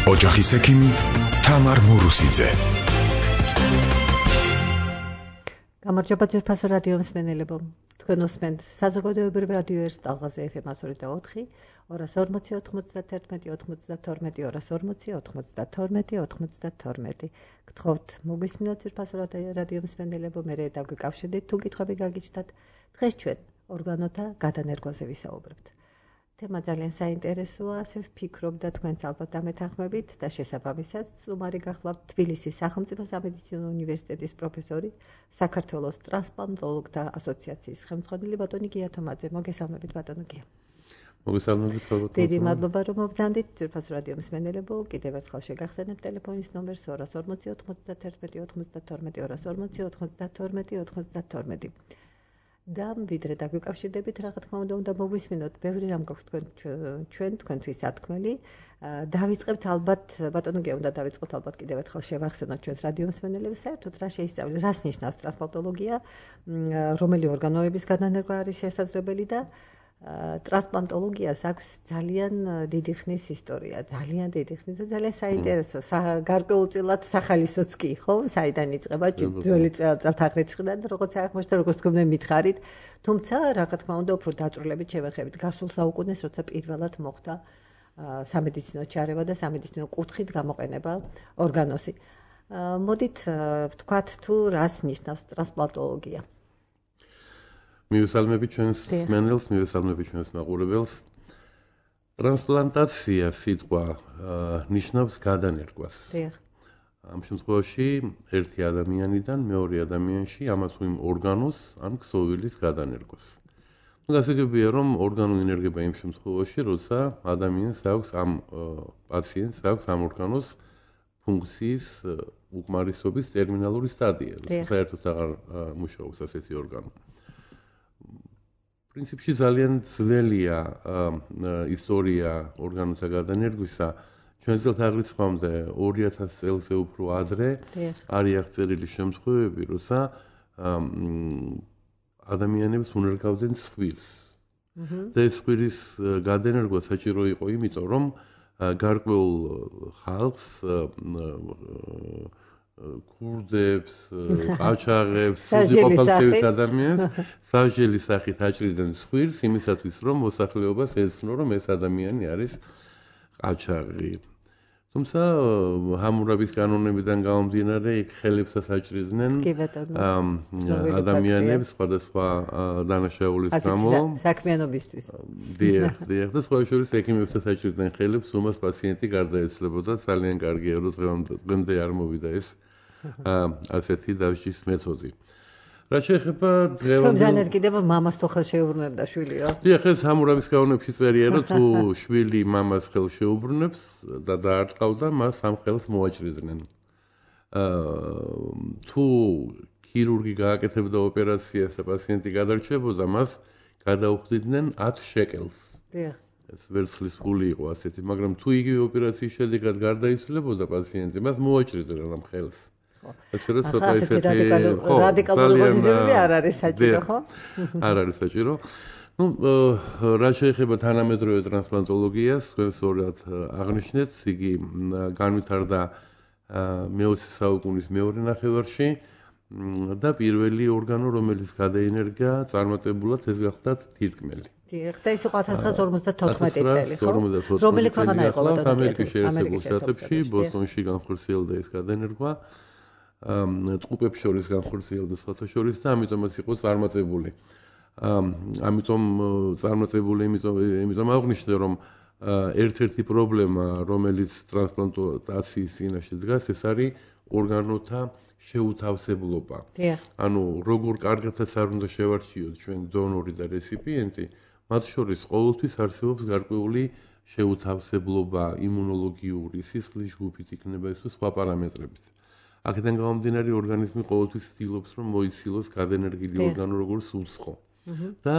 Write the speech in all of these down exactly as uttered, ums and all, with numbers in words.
ოჯახის ექიმი თამარ მურუსიძე. გამარჯობა ძვირფასო რადიო მსმენელებო. თქვენ უსმენთ საზოგადოებრივ რადიო ერთ ტალღაზე ეფ ემ ათი და ოთხი, ორას ორმოცი ოთხმოცდათერთმეტი ოთხმოცდათორმეტი, ორას ორმოცი ოთხმოცდათორმეტი ოთხმოცდათორმეტი. გთხოვთ მოგვისმინოთ ძვირფასო რადიო მსმენელებო, მე დაგვიკავშირდით თუ კითხვები გაგიჩნდათ. დღეს ჩვენ ორგანოთა გადანერგვაზე ვისაუბრებთ. თემა ძალიან საინტერესოა, ასე ვფიქრობ და თქვენც ალბათ დამეთანხმებით და შესაბამისად სტუმარი გახლავთ თბილისის სახელმწიფო სამედიცინო უნივერსიტეტის პროფესორი, საქართველოს ტრანსპლანტოლოგთა ასოციაციის ხელმძღვანელი ბატონი გია თომაძე. მოგესალმებით ბატონო გია. მოგესალმებით ბატონო. დიდი მადლობა რომ მოგზანდით ძვირფასო რადიო მსმენელებო. კიდევ ერთხელ შეგახსენებ ტელეფონის ნომერს ორას ორმოცი ოთხმოცდათერთმეტი ოთხმოცდათორმეტი, ორას ორმოცი ოთხმოცდათორმეტი ოთხმოცდათორმეტი. და ვიდრე დაგვიკავშირდებით, რა თქმა უნდა, უნდა მოგვისმინოთ, ბევრი რამ გვაქვს თქვენ ჩვენ თქვენთვის სათქმელი. დავიწყებთ ალბათ, ბატონო გია, უნდა დავიწყოთ ალბათ კიდევ ერთხელ შევახსენოთ ჩვენს რადიო მსმენელებს, საერთოდ რა შეისწავლეს, რას ნიშნავს ტრანსპლანტოლოგია, რომელი ორგანოების გადანერგვა არის შესაძლებელი და ტრანსპლანტოლოგიას აქვს ძალიან დიდი ხნის ისტორია, ძალიან დიდი ხნის და ძალიან საინტერესო. გარკვეულწილად სახალისოც კი, ხო? საიდან იწყება ძველი წელთაღრიცხვიდან, როგორც აღმოჩნდა, როგორც თქვენ მითხარით, თუმცა რა თქმა უნდა, უფრო დაწვრილებით შევეხებით გასულ საუკუნეს, როცა პირველად მოხდა სამედიცინო ჩარევა და სამედიცინო კუთხით გამოყენება ორგანოსი. მოდით ვთქვათ თუ რას ნიშნავს ტრანსპლანტოლოგია. მივესალმებით ჩვენს მსმენელს, მივესალმებით ჩვენს მაყურებელს. ტრანსპლანტაცია სიტყვა ნიშნავს გადანერგვას. ამ შემთხვევაში ერთი ადამიანიდან მეორე ადამიანში ამას თუ იმ ორგანოს ან ქსოვილის გადანერგვას. ნუ გასაგებია რომ ორგანო ინერგება იმ შემთხვევაში, როცა ადამიანს აქვს ამ პაციენტს აქვს ამ ორგანოს ფუნქციის უკმარისობის ტერმინალური სტადია, საერთოდ აღარ მუშაობს ასეთი ორგანო. პრინციპში ძალიან ძველია ისტორია ორგანოთა გადანერგვისა. ჩვენ წელთაღრიცხვამდე ორი ათას წელზე უფრო ადრე არის აღწერილი შემთხვევები, როცა ადამიანებს უნერგავდნენ სხვილს. და ეს სხვილის გადანერგვა საჭირო იყო იმიტომ, რომ გარკვეულ ხალხს ქურდებს, ყაჩაღებს, სულიყოფილების ადამიანს სასჯელის სახით აჭრიდნენ სხვილს იმისათვის, რომ მოსახლეობას ეცნო, რომ ეს ადამიანი არის ყაჩაღი. თუმცა ჰამურაბის კანონებიდან გამომდინარე, იქ ხელებსაც აჭრიდნენ ადამიანებს სხვადასხვა დანაშაულის გამო. საქმიანობისთვის. დიახ, დიახ, და სხვა შორის ექიმებსაც აჭრიდნენ ხელებს, უმას პაციენტი გარდაეცვლებოდა. ძალიან კარგია, რომ დღემდე არ მოვიდა ეს ასეთი დასჯის მეთოდი. რა შეეხება დღევანდელ თუმცა კიდევ მამას თუ ხელს შეუბრუნებდა შვილიო. დიახ, ეს ჰამურაბის კანონებში წერია, რომ თუ შვილი მამას ხელს შეუბრუნებს და დაარტყავდა, მას ამ ხელს მოაჭრიდნენ. თუ ქირურგი გააკეთებდა ოპერაციას და პაციენტი გადარჩებოდა, მას გადაუხდიდნენ ათ შეკელს. დიახ. ეს ვერცხლის ფული იყო ასეთი, მაგრამ თუ იგივე ოპერაციის შედეგად გარდაიცვლებოდა პაციენტი, მას მოაჭრიდნენ ამ ხელს. ასე რომ ცოტა ისეთი რადიკალური პოზიციები არ არის საჭირო, ხო? არ არის საჭირო. ნუ რა შეეხება თანამედროვე ტრანსპლანტოლოგიას, თქვენ სწორად აღნიშნეთ, იგი განვითარდა მეოცე საუკუნის მეორე ნახევარში და პირველი ორგანო, რომელიც გადაინერგა წარმატებულად, ეს გახლდათ თირკმელი. დიახ, და ის იყო ათას ცხრაასი ორმოცდათოთხმეტი წელი, ხო? რომელი ქვეყანა იყო ბატონო? ამერიკის შეერთებულ შტატებში, ბოსტონში განხორციელდა ეს გადანერგვა. ტყუპებს შორის განხორციელდა სხვათა შორის და ამიტომაც იყო წარმატებული. ამიტომ წარმატებული, იმიტომ აღნიშნე, რომ ერთ-ერთი პრობლემა, რომელიც ტრანსპლანტაციის წინაშე დგას, ეს არის ორგანოთა შეუთავსებლობა. ანუ როგორ კარგადაც არ უნდა შევარჩიოთ ჩვენ დონორი და რეციპიენტი, მათ შორის ყოველთვის არსებობს გარკვეული შეუთავსებლობა, იმუნოლოგიური, სისხლის ჯგუფით იქნება ეს სხვა პარამეტრებით. აქედან გამომდინარე ორგანიზმი ყოველთვის ცდილობს, რომ მოიცილოს გადანერგილი ორგანო როგორც უცხო. და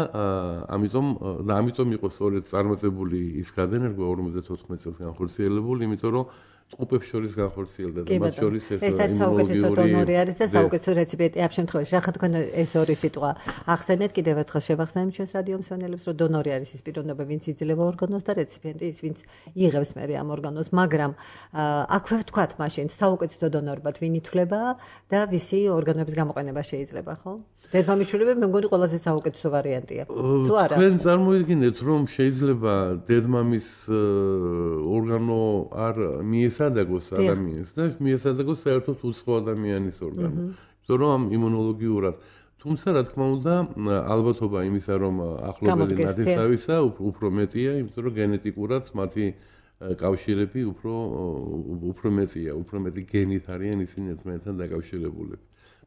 ამიტომ და ამიტომ იყო სწორედ წარმატებული ის გადანერგვა ორმოცდათოთხმეტ წელს განხორციელებული, იმიტომ რომ ტყუპებს შორის განხორციელდა და მათ შორის ეს ეს საუკეთესო დონორი არის და საუკეთესო რეციპიენტი ამ შემთხვევაში. რა ხარ თქვენ ეს ორი სიტყვა ახსენეთ კიდევ ერთხელ შევახსენებთ ჩვენს რადიო მსმენელებს, რომ დონორი არის ის პიროვნება, ვინც იძლევა ორგანოს და რეციპიენტი ის, ვინც იღებს მერე ამ ორგანოს, მაგრამ აქვე ვთქვათ მაშინ საუკეთესო დონორებად ვინ ითვლება და ვისი ორგანოების გამოყენება შეიძლება, ხო? დედმამიშვილები მე მგონი ყველაზე საუკეთესო ვარიანტია. თუ არა? თქვენ წარმოიდგინეთ, რომ შეიძლება დედმამის ორგანო არ მიესადაგოს ადამიანს და მიესადაგოს საერთოდ უცხო ადამიანის ორგანო. იმიტომ რომ იმუნოლოგიურად, თუმცა რა თქმა უნდა, ალბათობა იმისა, რომ ახლობელი ნათესავისა უფრო მეტია, იმიტომ რომ გენეტიკურად მათი კავშირები უფრო უფრო მეტია, უფრო მეტი გენით არიან ისინი ერთმანეთთან დაკავშირებულები.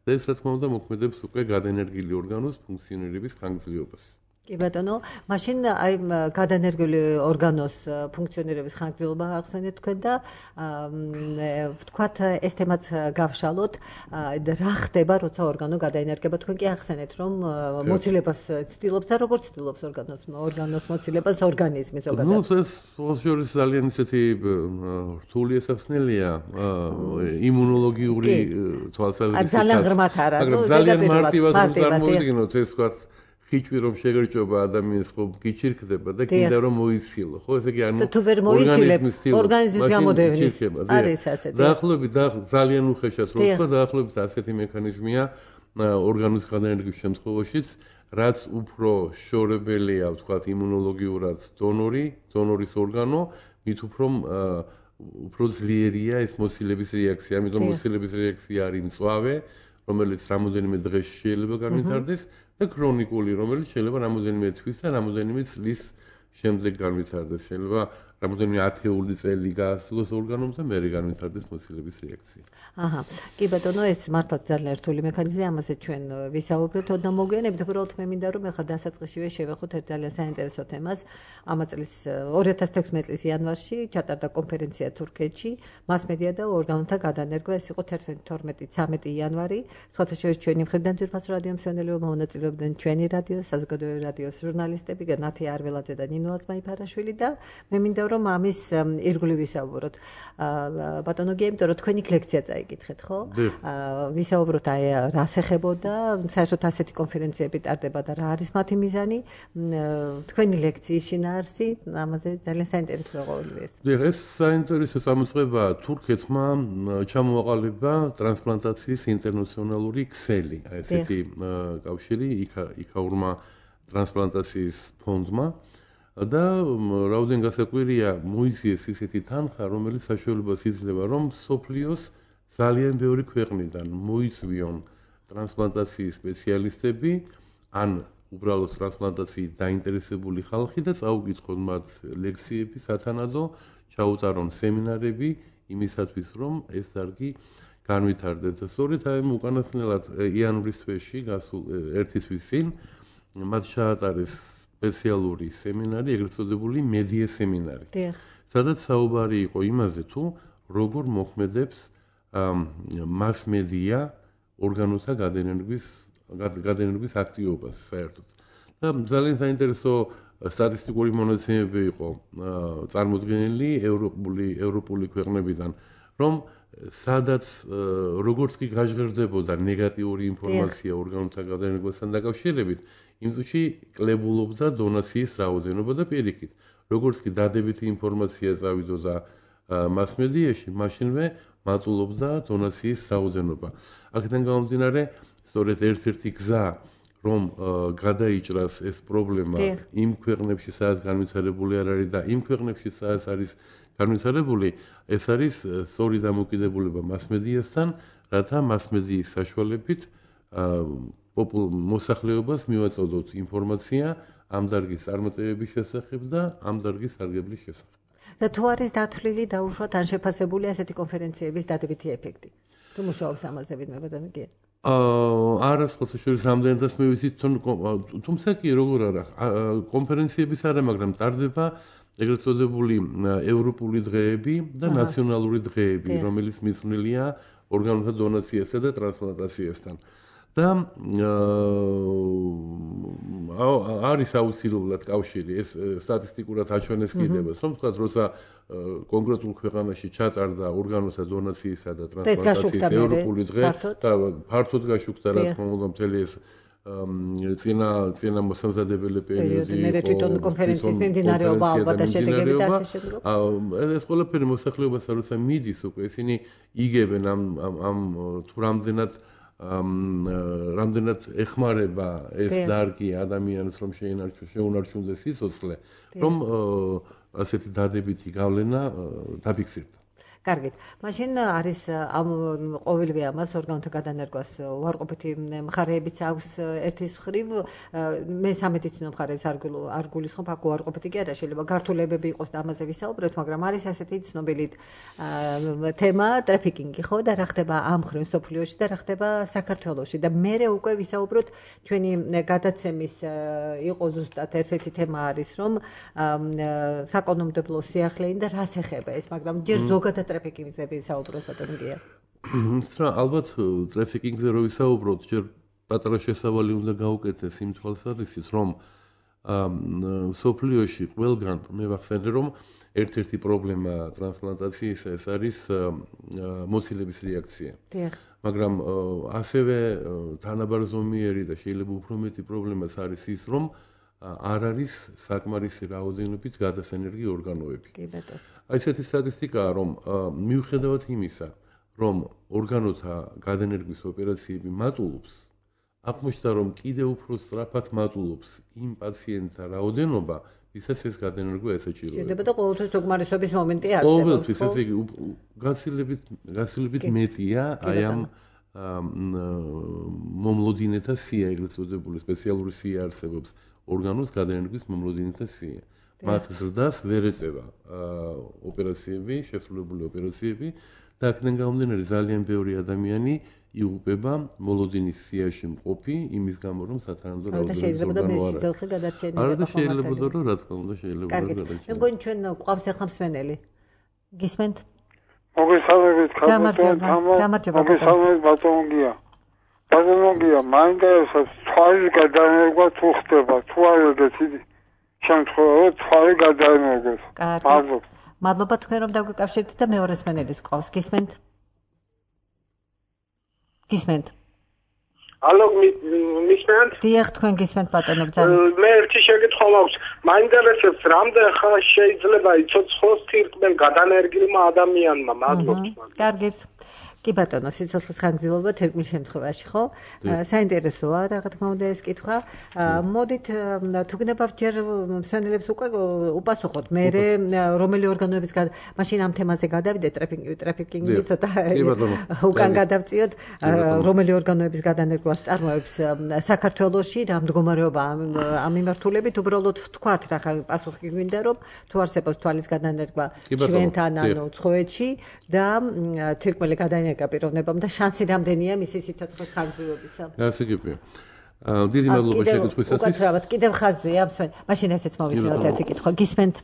და ეს რა თქმა უნდა მოქმედებს უკვე გადაენერგილი ორგანოს ფუნქციონირების ხანგრძლივობას. კი ბატონო, მაშინ აი გადაენერგილი ორგანოს ფუნქციონირების ხანგრძლივობა ახსენეთ თქვენ და ვთქვათ ეს თემაც გავშალოთ, რა ხდება, როცა ორგანო გადაენერგება, თქვენ კი ახსენეთ, რომ მოცილებას ცდილობს და როგორ ცდილობს ორგანოს ორგანოს მოცილებას ორგანიზმი ზოგადად. ნუ ეს შორის ძალიან ისეთი რთული ესახსნელია იმუნოლოგიური თვალსაზრისით. ძალიან ღრმად არა, ნუ ზედაპირულად წარმოვიდგინოთ ეს ვთქვათ ხიჭვი რომ შეგერჭობა ადამიანს ხო გიჩირქდება და კიდე რომ მოიცილო ხო ესე იგი ანუ თუ ვერ მოიცილებ ორგანიზმის გამოდევნის არის ასეთი დაახლოებით ძალიან უხეშად რო ვთქვა დაახლოებით ასეთი მექანიზმია ორგანოს გადაენერგვის შემთხვევაშიც რაც უფრო შორებელია ვთქვათ იმუნოლოგიურად დონორი დონორის ორგანო მით უფრო უფრო ძლიერია ეს მოცილების რეაქცია ამიტომ მოცილების რეაქცია არის მწვავე რომელიც რამოდენიმე დღეში შეიძლება განვითარდეს და ქრონიკული, რომელიც შეიძლება რამოდენიმე თვის და რამოდენიმე წლის შემდეგ განვითარდეს. შეიძლება რამოდენიმე ათეული წელი გაასწროს ორგანოms და მერე განვითარდეს მოცილების რეაქცია. აჰა. კი ბატონო, ეს მართლაც ძალიან რთული მექანიზმია, ამასაც ჩვენ ვისაუბრებთ ოდნა მოგვიანებით, უბრალოდ მე მინდა რომ ახლა დასაწყისშივე შევეხოთ ერთ ძალიან საინტერესო თემას. ამ წლის ორი ათას თექვსმეტი წლის იანვარში ჩატარდა კონფერენცია თურქეთში, მასმედია და ორგანოთა გადანერგვა, ეს იყო თერთმეტი თორმეტი ცამეტი იანვარი. სხვათა შორის ჩვენი მხრიდან ძვირფას რადიო მსმენელები მონაწილეობდნენ ჩვენი რადიოს, საზოგადოებრივი რადიოს ჟურნალისტები, ნათი არველაძე და ნინო აზმაიფარაშვილი და მე მინდა რომ ამის ირგვლივ ვისაუბროთ. ბატონო გია, იმიტომ რომ თქვენი ლექცია წაიკითხეთ, ხო? ვისაუბროთ აი რას ეხებოდა, საერთოდ ასეთი კონფერენციები ტარდება და რა არის მათი მიზანი. თქვენი ლექციის შინაარსი, ამაზე ძალიან საინტერესო ყოველივე ეს. დიახ, ეს საინტერესო წამოწყება თურქეთმა ჩამოაყალიბა ტრანსპლანტაციის ინტერნაციონალური ქსელი, აი ესეთი კავშირი იქაურმა ტრანსპლანტაციის ფონდმა. და რაოდენ გასაკვირია მოიძიეს ისეთი თანხა, რომელიც საშუალებას იძლევა, რომ სოფლიოს ძალიან ბევრი ქვეყნიდან მოიწვიონ ტრანსპლანტაციის სპეციალისტები, ან უბრალოდ ტრანსპლანტაციით დაინტერესებული ხალხი და წაუკითხონ მათ ლექციები, სათანადო ჩაუტარონ სემინარები იმისათვის, რომ ეს დარგი განვითარდეს. და სწორედ აი უკანასკნელად იანვრის თვეში, გასულ ერთი თვის წინ მათ ჩაატარეს სპეციალური სემინარი, ეგრეთ წოდებული მედია სემინარი. სადაც საუბარი იყო იმაზე, თუ როგორ მოქმედებს მასმედია ორგანოთა გადაენერგვის გადაენერგვის აქტივობას საერთოდ. და ძალიან საინტერესო სტატისტიკური მონაცემები იყო წარმოდგენილი ევროპული ევროპული ქვეყნებიდან, რომ სადაც როგორც კი გაჟღერდებოდა ნეგატიური ინფორმაცია ორგანოთა გადაენერგვასთან დაკავშირებით, იმ წუთში კლებულობდა დონაციის რაოდენობა და პირიქით. როგორც კი დადებითი ინფორმაცია წავიდოდა მასმედიაში, მაშინვე მატულობდა დონაციის რაოდენობა. აქედან გამომდინარე, სწორედ ერთ-ერთი გზა, რომ გადაიჭრას ეს პრობლემა იმ ქვეყნებში, სადაც განვითარებული არ არის და იმ ქვეყნებში, სადაც არის განვითარებული, ეს არის სწორი დამოკიდებულება მასმედიასთან, რათა მასმედიის საშუალებით მოსახლეობას მივაწოდოთ ინფორმაცია ამ დარგის წარმატებების შესახებ და ამ დარგის სარგებლის შესახებ. და თუ არის დათვლილი დაუშვათ ან შეფასებული ასეთი კონფერენციების დადებითი ეფექტი? თუ მუშაობს ამაზე ვინმე ბატონო გია? აა არა, ხოთა შორის რამდენადაც მე ვიცით, თუმცა კი როგორ არა, კონფერენციების არა, მაგრამ ტარდება ეგრეთ წოდებული ევროპული დღეები და ნაციონალური დღეები, რომელიც მიძღვნილია ორგანოთა დონაციასა და ტრანსპლანტაციასთან. და არის აუცილებლად კავშირი ეს სტატისტიკურად აჩვენეს კიდევაც, რომ თქვა, როცა კონკრეტულ ქვეყანაში ჩატარდა ორგანოთა დონაციისა და ტრანსპლანტაციის ევროპული დღე და ფართოდ გაშუქდა რა თქმა უნდა მთელი ეს წინა წინა მოსამზადებელი პერიოდი მე თვითონ კონფერენციის მიმდინარეობა ალბათ და შედეგები და ასე შემდეგ. ეს ყველაფერი მოსახლეობასთან როცა მიდის უკვე ისინი იგებენ ამ ამ თუ რამდენად რამდენად ეხმარება ეს დარგი ადამიანს რომ შეუნარჩუნდეს სიცოცხლე რომ ასეთი დადებითი გავლენა დაფიქსირდა. კარგით. მაშინ არის ამ ყოველივე ამას ორგანოთა გადანერგვას უარყოფითი მხარეებიც აქვს ერთის მხრივ მე სამედიცინო მხარეებს არ გულისხმობ აქ უარყოფითი კი არა შეიძლება გართულებები იყოს და ამაზე ვისაუბროთ მაგრამ არის ასეთი ცნობილი თემა ტრაფიკინგი ხო და რა ხდება ამ მხრივ სოფლიოში და რა ხდება საქართველოში და მე უკვე ვისაუბროთ ჩვენი გადაცემის იყო ზუსტად ერთ-ერთი თემა არის რომ საკანონმდებლო სიახლეინ და რას ეხება ეს მაგრამ ჯერ ზოგადად ტრაფიკინგზე ვისაუბროთ ბატონო გია. რა ალბათ ტრაფიკინგზე რო ვისაუბროთ, ჯერ პატარა შესავალი უნდა გაუკეთდეს იმ თვალსაზრისით, რომ სოფლიოში ყველგან მე ვახსენე რომ ერთ-ერთი პრობლემა ტრანსპლანტაციის ეს არის მოცილების რეაქცია. მაგრამ ასევე თანაბარზომიერი და შეიძლება უფრო მეტი პრობლემაც არის ის, რომ არ არის საკმარისი რაოდენობით გადასენერგი ორგანოები. კი ბატონო. აი ესეთი სტატისტიკაა, რომ მიუხედავად იმისა, რომ ორგანოთა გადანერგვის ოპერაციები მატულობს, აღმოჩნდა, რომ კიდევ უფრო სწრაფად მატულობს იმ პაციენტთა რაოდენობა, ვისაც ეს გადანერგვა ესაჭიროება. შეიძლება და ყოველთვის დოგმარისობის მომენტი არსებობს. ყოველთვის ესე იგი გაცილებით გაცილებით მეტია აი ამ მომლოდინეთა სია, ეგრეთ წოდებული სპეციალური სია არსებობს ორგანოს გადანერგვის მომლოდინეთა სია. მათ ზრდას ვერ ეწევა ოპერაციები, შესრულებული ოპერაციები და აქედან გამომდინარე ძალიან ბევრი ადამიანი იღუპება მოლოდინის სიაში მყოფი იმის გამო რომ სათანადო რაოდენობით შეიძლება და სიცოცხლე გადარჩენილი არა და შეიძლება რომ რა თქმა უნდა შეიძლება რომ გადარჩენილი. მე მგონი ჩვენ ყავს ახლა მსმენელი. გისმენთ? მოგესალმებით გამარჯობა. გამარჯობა. მოგესალმებით ბატონგია. ბატონგია, მაინტერესებს თვალის გადანერგვა თუ ხდება, თუ არ ეგეთი შემთხვევაში თვალი გადაიმოგოს. მადლობა. მადლობა თქვენ რომ დაგვიკავშირდით და მეორე მსმენელის ყავს. გისმენთ? გისმენთ? ალო მისმენთ? დიახ, თქვენ გისმენთ ბატონო ბრძანეთ. მე ერთი შეკითხვა მაქვს. მაინტერესებს რამდენ ხანს შეიძლება იცოცხლოს თირკმელ გადანერგილმა ადამიანმა? მადლობა. კარგით. კი ბატონო, სიცოცხლის ხანგრძლივობა თერმულ შემთხვევაში, ხო? საინტერესოა, რა თქმა უნდა ეს კითხვა. მოდით თუ გნებავ ჯერ მსმენელებს უკვე უპასუხოთ. მე რომელი ორგანოების მაშინ ამ თემაზე გადავიდეთ, ტრაფიკინგი ცოტა უკან გადავწიოთ, რომელი ორგანოების გადანერგვას წარმოებს საქართველოში, რა მდგომარეობა ამ მიმართულებით, უბრალოდ ვთქვათ, რა პასუხი გვინდა, რომ თუ არსებობს თვალის გადანერგვა ჩვენთან, ანუ ცხოეთში და თირკმელი გადანერგვა გაპიროვნებამ და შანსი რამდენია მისი სიცოცხლის ხანგრძლივობისა. ასე გიფია. დიდი მადლობა შეკითხვისათვის. უკაცრავად კიდევ ხაზია, მაშინ ესეც მოვისმინოთ ერთი კითხვა. გისმენთ?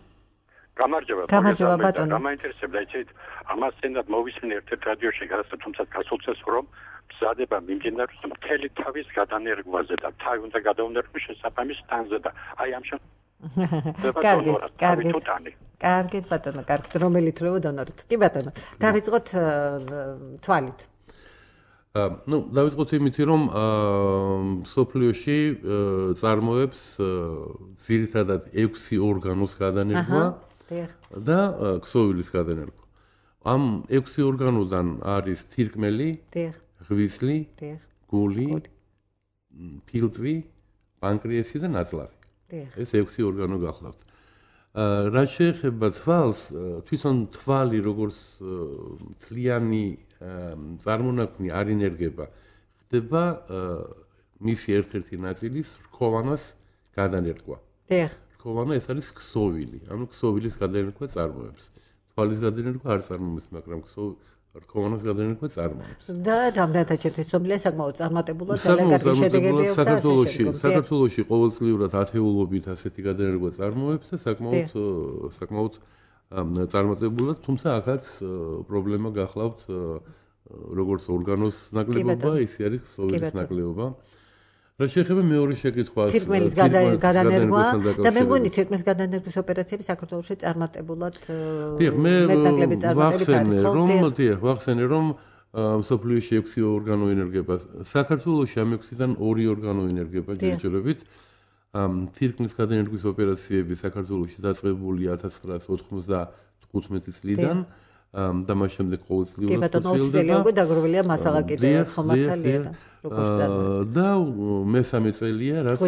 გამარჯობა. გამარჯობა ბატონო. გამაინტერესებდა იცით, ამას წინათ მოვისმინე ერთ-ერთ რადიოში გადასცა, თუმცა გასულწეს რომ მზადება მიმდინარეობს მთელი თავის გადანერგვაზე და თავი უნდა გადაუნერგოს შესაბამის თანზე და აი ამ შემთხვევაში კარგით, კარგით. კარგით ბატონო, კარგით. რომელი თვლება დონორით? კი ბატონო. დავიწყოთ თვალით. ну, დავიწყოთ იმით, რომ სოფლიოში წარმოებს ძირითადად ექვსი ორგანოს გადანერგვა და ქსოვილის გადანერგვა. ამ ექვსი ორგანოდან არის თირკმელი, ღვიძლი, გული, ფილტვი, პანკრეასი და ნაწლავი. ეს ექვსი ორგანო გახლავთ. რაც შეეხება თვალს, თვითონ თვალი როგორც მთლიანი წარმონაქმნი არ ინერგება, ხდება მისი ერთ-ერთი ნაწილის რქოვანას გადანერგვა. რქოვანა ეს არის ქსოვილი, ანუ ქსოვილის გადანერგვა წარმოებს. თვალის გადანერგვა არ წარმოებს, მაგრამ რქოვანას გადანერგვა წარმოებს. და რამდენადაც ცნობილია საკმაოდ წარმატებულად ძალიან კარგი შედეგები აქვს საქართველოში. საქართველოში ყოველწლიურად ათეულობით ასეთი გადანერგვა წარმოებს და საკმაოდ საკმაოდ წარმატებულად, თუმცა აქაც პრობლემა გახლავთ როგორც ორგანოს ნაკლებობა, ისე არის ქსოვილის ნაკლებობა. რა შეეხება მეორე შეკითხვას თირკმელის გადანერგვა და მე მგონი თირკმელის გადანერგვის ოპერაციები საქართველოში წარმატებულად მეტნაკლები წარმატებით არის ხო? რომ დიახ, ვახსენე რომ მსოფლიოში ექვსი ორგანო ინერგება. საქართველოში ამ ექვსიდან ორი ორგანო ინერგება ჯერჯერობით. თირკმლის გადანერგვის ოპერაციები საქართველოში დაწყებული ათას ცხრაასი ოთხმოცდათხუთმეტი წლიდან და მას შემდეგ ყოველწლიურად კი ბატონო ოცი წელი უკვე დაგროვილია მასალა კიდევაც ხომართალია როგორც წარმოიდგინეთ და მესამე წელია რაც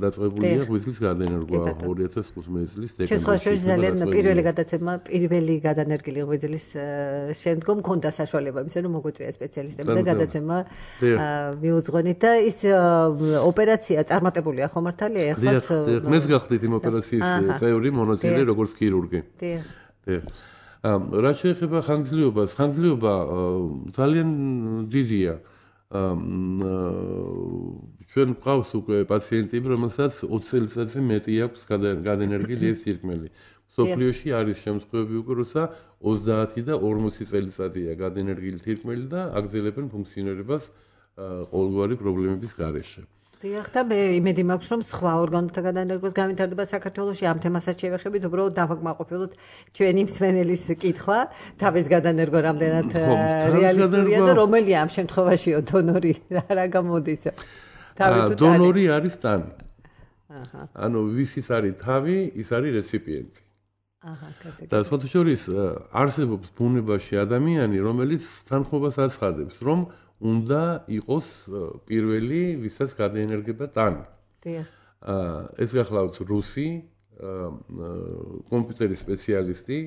დაწყებულია ღვიძლის გადანერგვა ორი ათას თხუთმეტი წლის დეკემბერში. ჩვენ ძალიან პირველი გადაცემა პირველი გადანერგილი ღვიძლის შემდგომ მქონდა საშუალება იმისა რომ მოგვიწვია სპეციალისტები და გადაცემა მიუძღვენით და ის ოპერაცია წარმატებულია ხომართალია ეხლაც მეც გახდით იმ ოპერაციის წევრი მონაწილე როგორც ქირურგი. დიახ. დიახ. რა შეეხება ხანგრძლივობას, ხანგრძლივობა ძალიან დიდია. ჩვენ გვყავს უკვე პაციენტები, რომელსაც ოცი წელიწადზე მეტი აქვს გადანერგილი ეს თირკმელი. მსოფლიოში არის შემთხვევები უკვე, როცა ოცდაათი და ორმოცი წელიწადია გადანერგილი თირკმელი და აგრძელებენ ფუნქციონირებას ყოველგვარი პრობლემების გარეშე. დიახ და მე იმედი მაქვს რომ სხვა ორგანოთა გადანერგვას განვითარდება საქართველოში ამ თემასაც შევეხებით უბრალოდ დავაკმაყოფილოთ ჩვენი მსმენელის კითხვა თავის გადანერგვა რამდენად რეალისტურია და რომელია ამ შემთხვევაშიო დონორი რა გამოდის დონორი არის ტანი აჰა ანუ ვისის არის თავი ის არის რეციპიენტი აჰა კასე და სხვათა შორის არსებობს ბუნებაში ადამიანი რომელიც თანხმობას აცხადებს რომ უნდა იყოს პირველი, ვისაც გადაენერგება ტანი. დიახ. ეს გახლავთ რუსი კომპიუტერის სპეციალისტი,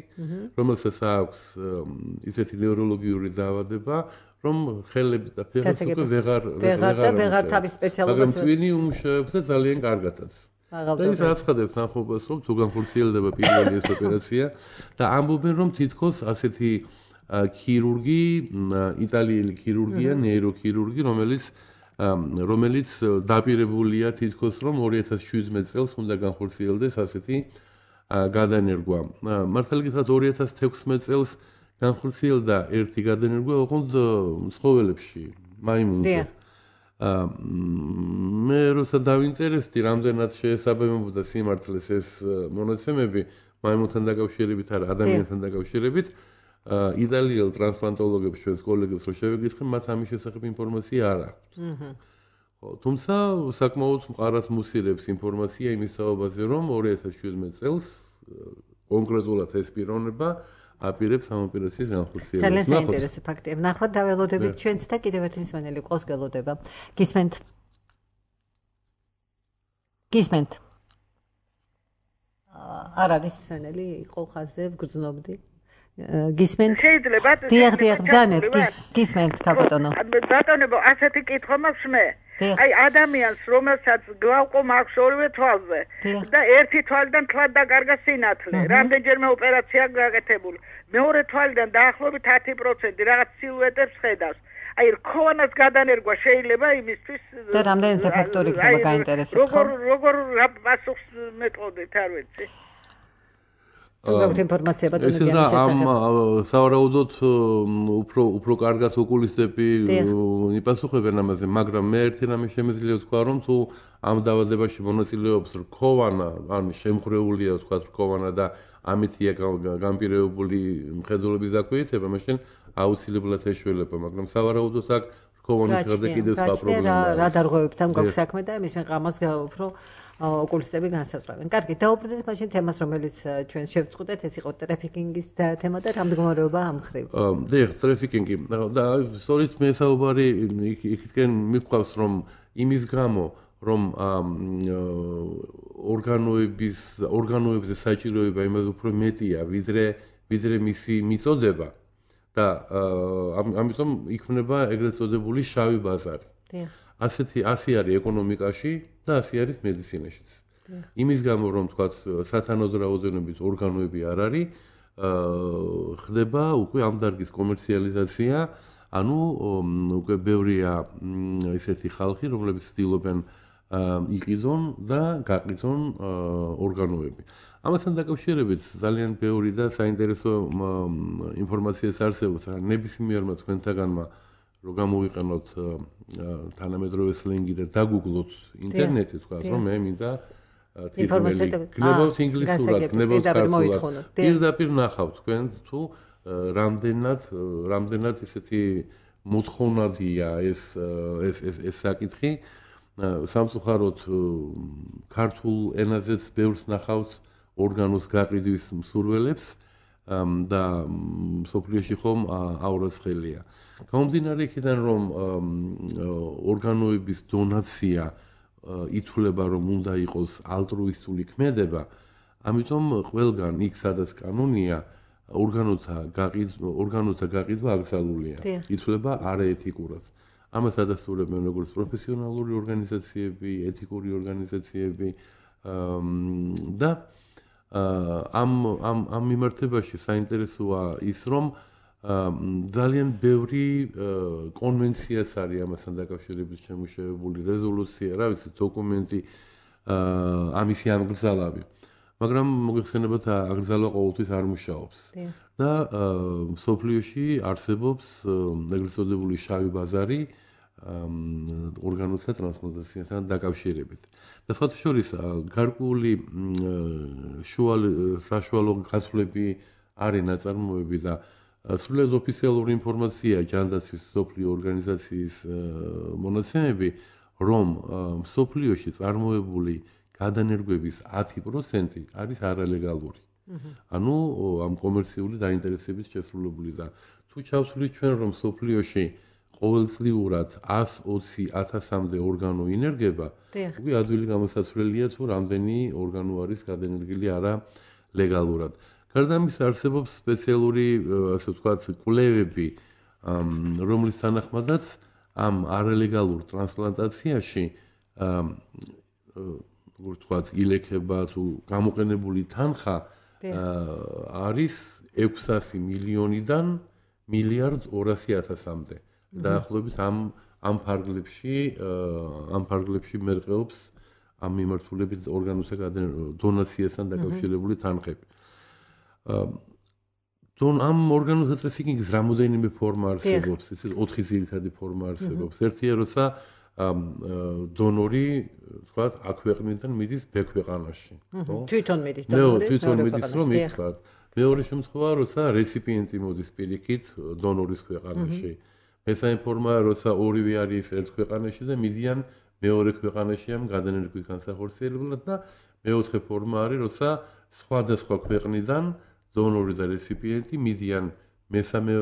რომელსაც აქვს ისეთი ნევროლოგიური დაავადება, რომ ხელები და ფეხები უკვე ვეღარ ვეღარ თავის სპეციალობას მაგრამ twin-ი უმუშავებს და ძალიან კარგადაც. და ის აცხადებს თანხმობას, რომ თუ განხორციელდება პირველი ეს ოპერაცია და ამბობენ, რომ თითქოს ასეთი ქირურგი, იტალიელი ქირურგია, ნეიროქირურგი, რომელიც რომელიც დაპირებულია თითქოს რომ ორი ათას შვიდმეტ წელს უნდა განხორციელდეს ასეთი გადანერგვა. მართალი გითხრათ ორი ათას თექვსმეტ წელს განხორციელდა ერთი გადანერგვა ოღონდ ცხოველებში, მაიმუნზე. მე როცა დავინტერესდი, რამდენად შეესაბამებოდა სიმართლეს ეს მონაცემები მაიმუნთან დაკავშირებით არა, ადამიანთან დაკავშირებით. იტალიელ ტრანსპლანტოლოგებს ჩვენს კოლეგებს რო შევეკითხე, მათ ამის შესახებ ინფორმაცია არ აქვთ. ხო, თუმცა საკმაოდ მყარად მუსილებს ინფორმაცია იმის საუბარზე, რომ ორი ათას შვიდმეტ წელს კონკრეტულად ეს პიროვნება აპირებს ამ ოპერაციის განხორციელებას. ძალიან საინტერესო ფაქტია. ნახოთ დაველოდებით ჩვენც და კიდევ ერთი მსმენელი ყოს გელოდება. გისმენთ? გისმენთ? არ არის მსმენელი, იყო ხაზზე ვგრძნობდი. გისმენთ? შეიძლება დიახ, დიახ, ბრძანეთ, გისმენთ, ბატონო. ბატონო, ასეთი კითხვა მაქვს მე. აი ადამიანს, რომელსაც გვაყო მაქვს ორივე თვალზე და ერთი თვალიდან თვალ დაკარგა სინათლე, რამდენჯერმე ოპერაცია გაკეთებული. მეორე თვალიდან დაახლოებით ათი პროცენტი რაღაც სილუეტებს ხედავს. აი რქოვანას გადანერგვა შეიძლება იმისთვის და რამდენი ფაქტორი ხდება გაინტერესებს ხო? როგორ როგორ პასუხს მეტყოდით, არ ვიცი. თუ გაქვთ ინფორმაცია ბატონო ეს და ამ სავარაუდოდ უფრო უფრო კარგად ოკულისტები იპასუხებენ ამაზე, მაგრამ მე ერთი რამე შემიძლია ვთქვა, რომ თუ ამ დაავადებაში მონაწილეობს რქოვანა, ან შემხრეულია ვთქვა რქოვანა და ამითია განპირობებული მხედველობის დაქვეითება, მაშინ აუცილებლად ეშველება, მაგრამ სავარაუდოდ აქ რქოვანის გარდა კიდევ სხვა პრობლემაა. რა დარღვევებთან გვაქვს საქმე და მის მიღამას უფრო ოკულისტები განსაზღვრავენ. კარგი, დაუბრუნდეთ მაშინ თემას, რომელიც ჩვენ შევწყვეტეთ, ეს იყო ტრაფიკინგის თემა და რამდგომარეობა ამ ხრივ. დიახ, ტრაფიკინგი და სწორედ მე საუბარი იქითკენ მიყვავს, რომ იმის გამო, რომ ორგანოების ორგანოებზე საჭიროება იმაზე უფრო მეტია, ვიდრე ვიდრე მისი მიწოდება და ამიტომ იქმნება ეგრეთ წოდებული შავი ბაზარი. დიახ. ასეთი ასე არის ეკონომიკაში და ასე არის მედიცინაშიც. იმის გამო რომ თქვათ სათანადო რაოდენობით ორგანოები არ არის, ხდება უკვე ამ დარგის კომერციალიზაცია, ანუ უკვე ბევრია ისეთი ხალხი, რომლებიც ცდილობენ იყიდონ და გაყიდონ ორგანოები. ამასთან დაკავშირებით ძალიან ბევრი და საინტერესო ინფორმაციაც არსებობს ნებისმიერმა თქვენთაგანმა რომ გამოვიყენოთ თანამედროვე სლენგი და დაგუგლოთ ინტერნეტი, თქვა, რომ მე მინდა გნებავთ ინგლისურად, გნებავთ ქართულად. პირდაპირ ნახავთ თქვენ თუ რამდენად რამდენად ესეთი მოთხოვნადია ეს ეს ეს საკითხი. სამწუხაროდ ქართულ ენაზეც ბევრს ნახავთ ორგანოს გაყიდვის მსურველებს და სოფლიოში ხომ აურაცხელია. გამომდინარე იქიდან რომ ორგანოების დონაცია ითვლება რომ უნდა იყოს ალტრუისტული ქმედება, ამიტომ ყველგან იქ სადაც კანონია ორგანოთა გაყიდვა ორგანოთა გაყიდვა აკრძალულია. ითვლება არაეთიკურად. ამას ადასტურებენ როგორც პროფესიონალური ორგანიზაციები, ეთიკური ორგანიზაციები და ამ ამ ამ მიმართებაში საინტერესოა ის რომ ძალიან ბევრი კონვენციაც არის ამასთან დაკავშირებით შემუშავებული, რეზოლუცია, რა ვიცი, დოკუმენტი ამისი აკრძალავი. მაგრამ მოგეხსენებათ აკრძალვა ყოველთვის არ მუშაობს. და სოფლიოში არსებობს ეგრეთ წოდებული შავი ბაზარი ორგანოთა ტრანსპლანტაციასთან დაკავშირებით. და სხვათა შორის გარკვეული საშუალო გაცვლები არის ნაწარმოები და სრულიად ოფიციალური ინფორმაცია ჯანდაცვის სოფლიო ორგანიზაციის მონაცემები, რომ სოფლიოში წარმოებული გადანერგვების ათი პროცენტი არის არალეგალური. ანუ ამ კომერციული დაინტერესებით შესრულებული და თუ ჩავსვლით ჩვენ რომ სოფლიოში ყოველწლიურად ას ოცი ათასამდე ორგანო ინერგება, უკვე ადვილი გამოსაცვლელია თუ რამდენი ორგანო არის გადანერგილი არა ლეგალურად. გარდა ამისა არსებობს სპეციალური, ასე ვთქვათ, კვლევები, რომლის თანახმადაც ამ არალეგალურ ტრანსპლანტაციაში როგორ ვთქვათ, ილექება თუ გამოყენებული თანხა არის ექვსასი მილიონიდან მილიარდ ორასი ათასამდე. დაახლოებით ამ ამ ფარგლებში ამ ფარგლებში მერყეობს ამ მიმართულებით ორგანოთა დონაციასთან დაკავშირებული თანხები. დონ ამ ორგანოთა ტრაფიკინგის რამოდენიმე ფორმა არსებობს, ესე ოთხი ძირითადი ფორმა არსებობს. ერთია, როცა დონორი, თქვათ, აქ ქვეყნიდან მიდის ბ ქვეყანაში, ხო? თვითონ მიდის დონორი, თვითონ მიდის რომ იქ. მეორე შემთხვევა, როცა რეციპიენტი მოდის პირიქით დონორის ქვეყანაში. მესამე ფორმაა, როცა ორივე არის ერთ ქვეყანაში და მიდიან მეორე ქვეყანაში ამ გადანერგვის განსახორციელებლად და მეოთხე ფორმა არის, როცა სხვადასხვა ქვეყნიდან დონორი და რეციპიენტი მიდიან მესამე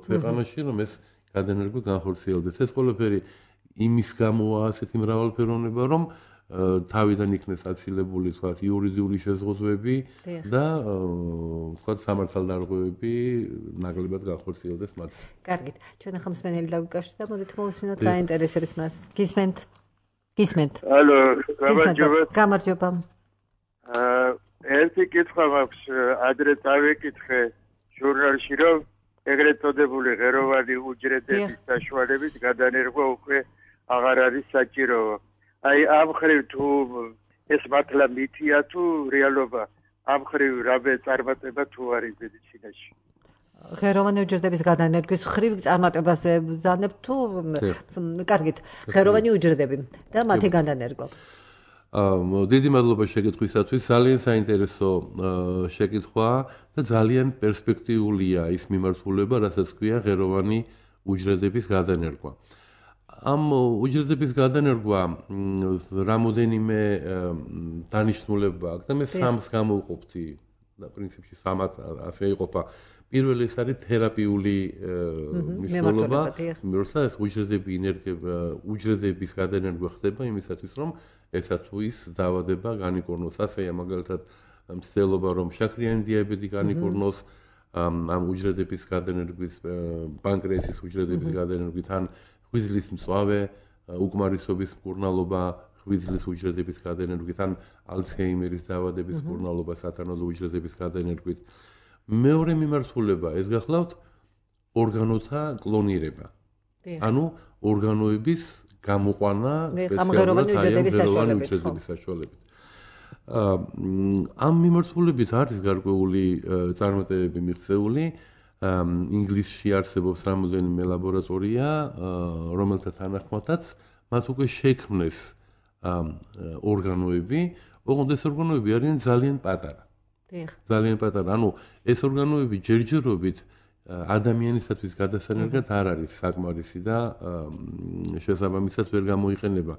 ქვეყანაში, რომ ეს გადანერგვა განხორციელდეს. ეს ყველაფერი იმის გამოა ასეთი მრავალფეროვნება, რომ თავიდან იქნეს აცილებული, თქვათ, იურიდიული შეზღუდვები და თქვათ, სამართალდარღვევები ნაკლებად განხორციელდეს მათ. კარგით, ჩვენ ახლა მსმენელი დაგვიკავშირდა, მოდით მოვუსმინოთ რა ინტერესებს მას. გისმენთ? გისმენთ? ალო, გამარჯობა. გამარჯობა. აა, ერთი კითხვა მაქვს, ადრე დავეკითხე ჟურნალში, რომ ეგრეთ წოდებული ღეროვანი უჯრედების საშუალებით გადანერგვა უკვე აღარ არის საჭირო. აი ამ ხრივ თუ ეს მართლა მითია თუ რეალობა, ამ ხრივ რამე წარმატება თუ არის მედიცინაში? ღეროვანი უჯრედების გადანერგვის ხრივ წარმატებაზე ბრძანებთ თუ კარგით, ღეროვანი უჯრედები და მათი გადანერგვა. აა დიდი მადლობა შეკითხვისათვის, ძალიან საინტერესო შეკითხვა და ძალიან პერსპექტიულია ის მიმართულება, რასაც ქვია ღეროვანი უჯრედების გადანერგვა. ამ უჯრედების გადანერგვა რამოდენიმე დანიშნულება აქვს და მე სამს გამოვყოფთი და პრინციპში სამად ასე იყოფა. პირველი ეს არის თერაპიული მნიშვნელობა, როცა ეს უჯრედები ინერგება, უჯრედების გადანერგვა ხდება იმისათვის, რომ ესა თუ ის დაავადება განიკორნოს. ასეა მაგალითად მცდელობა, რომ შაქრიანი დიაბეტი განიკორნოს ამ უჯრედების გადანერგვის, პანკრეასის უჯრედების გადანერგვით ან ღვიძლის მწვავე, უკმარისობის მკურნალობა, ღვიძლის უჯრედების გადანერგვით ან ალცჰეიმერის დაავადების მკურნალობა სათანადო უჯრედების გადანერგვით. მეორე მიმართულება ეს გახლავთ ორგანოთა კლონირება. ანუ ორგანოების გამოყვანა სპეციალურად უჯრედების საშუალებით. ამ მიმართულებით არის გარკვეული წარმატებები მიღწეული. ინგლისში არსებობს რამოდენიმე ლაბორატორია, რომელთა თანახმადაც მათ უკვე შექმნეს ორგანოები, ოღონდ ეს ორგანოები არიან ძალიან პატარა. ძალიან პატარა. ანუ ეს ორგანოები ჯერჯერობით ადამიანისათვის გადასანერგად არ არის საკმარისი და შესაბამისად ვერ გამოიყენება.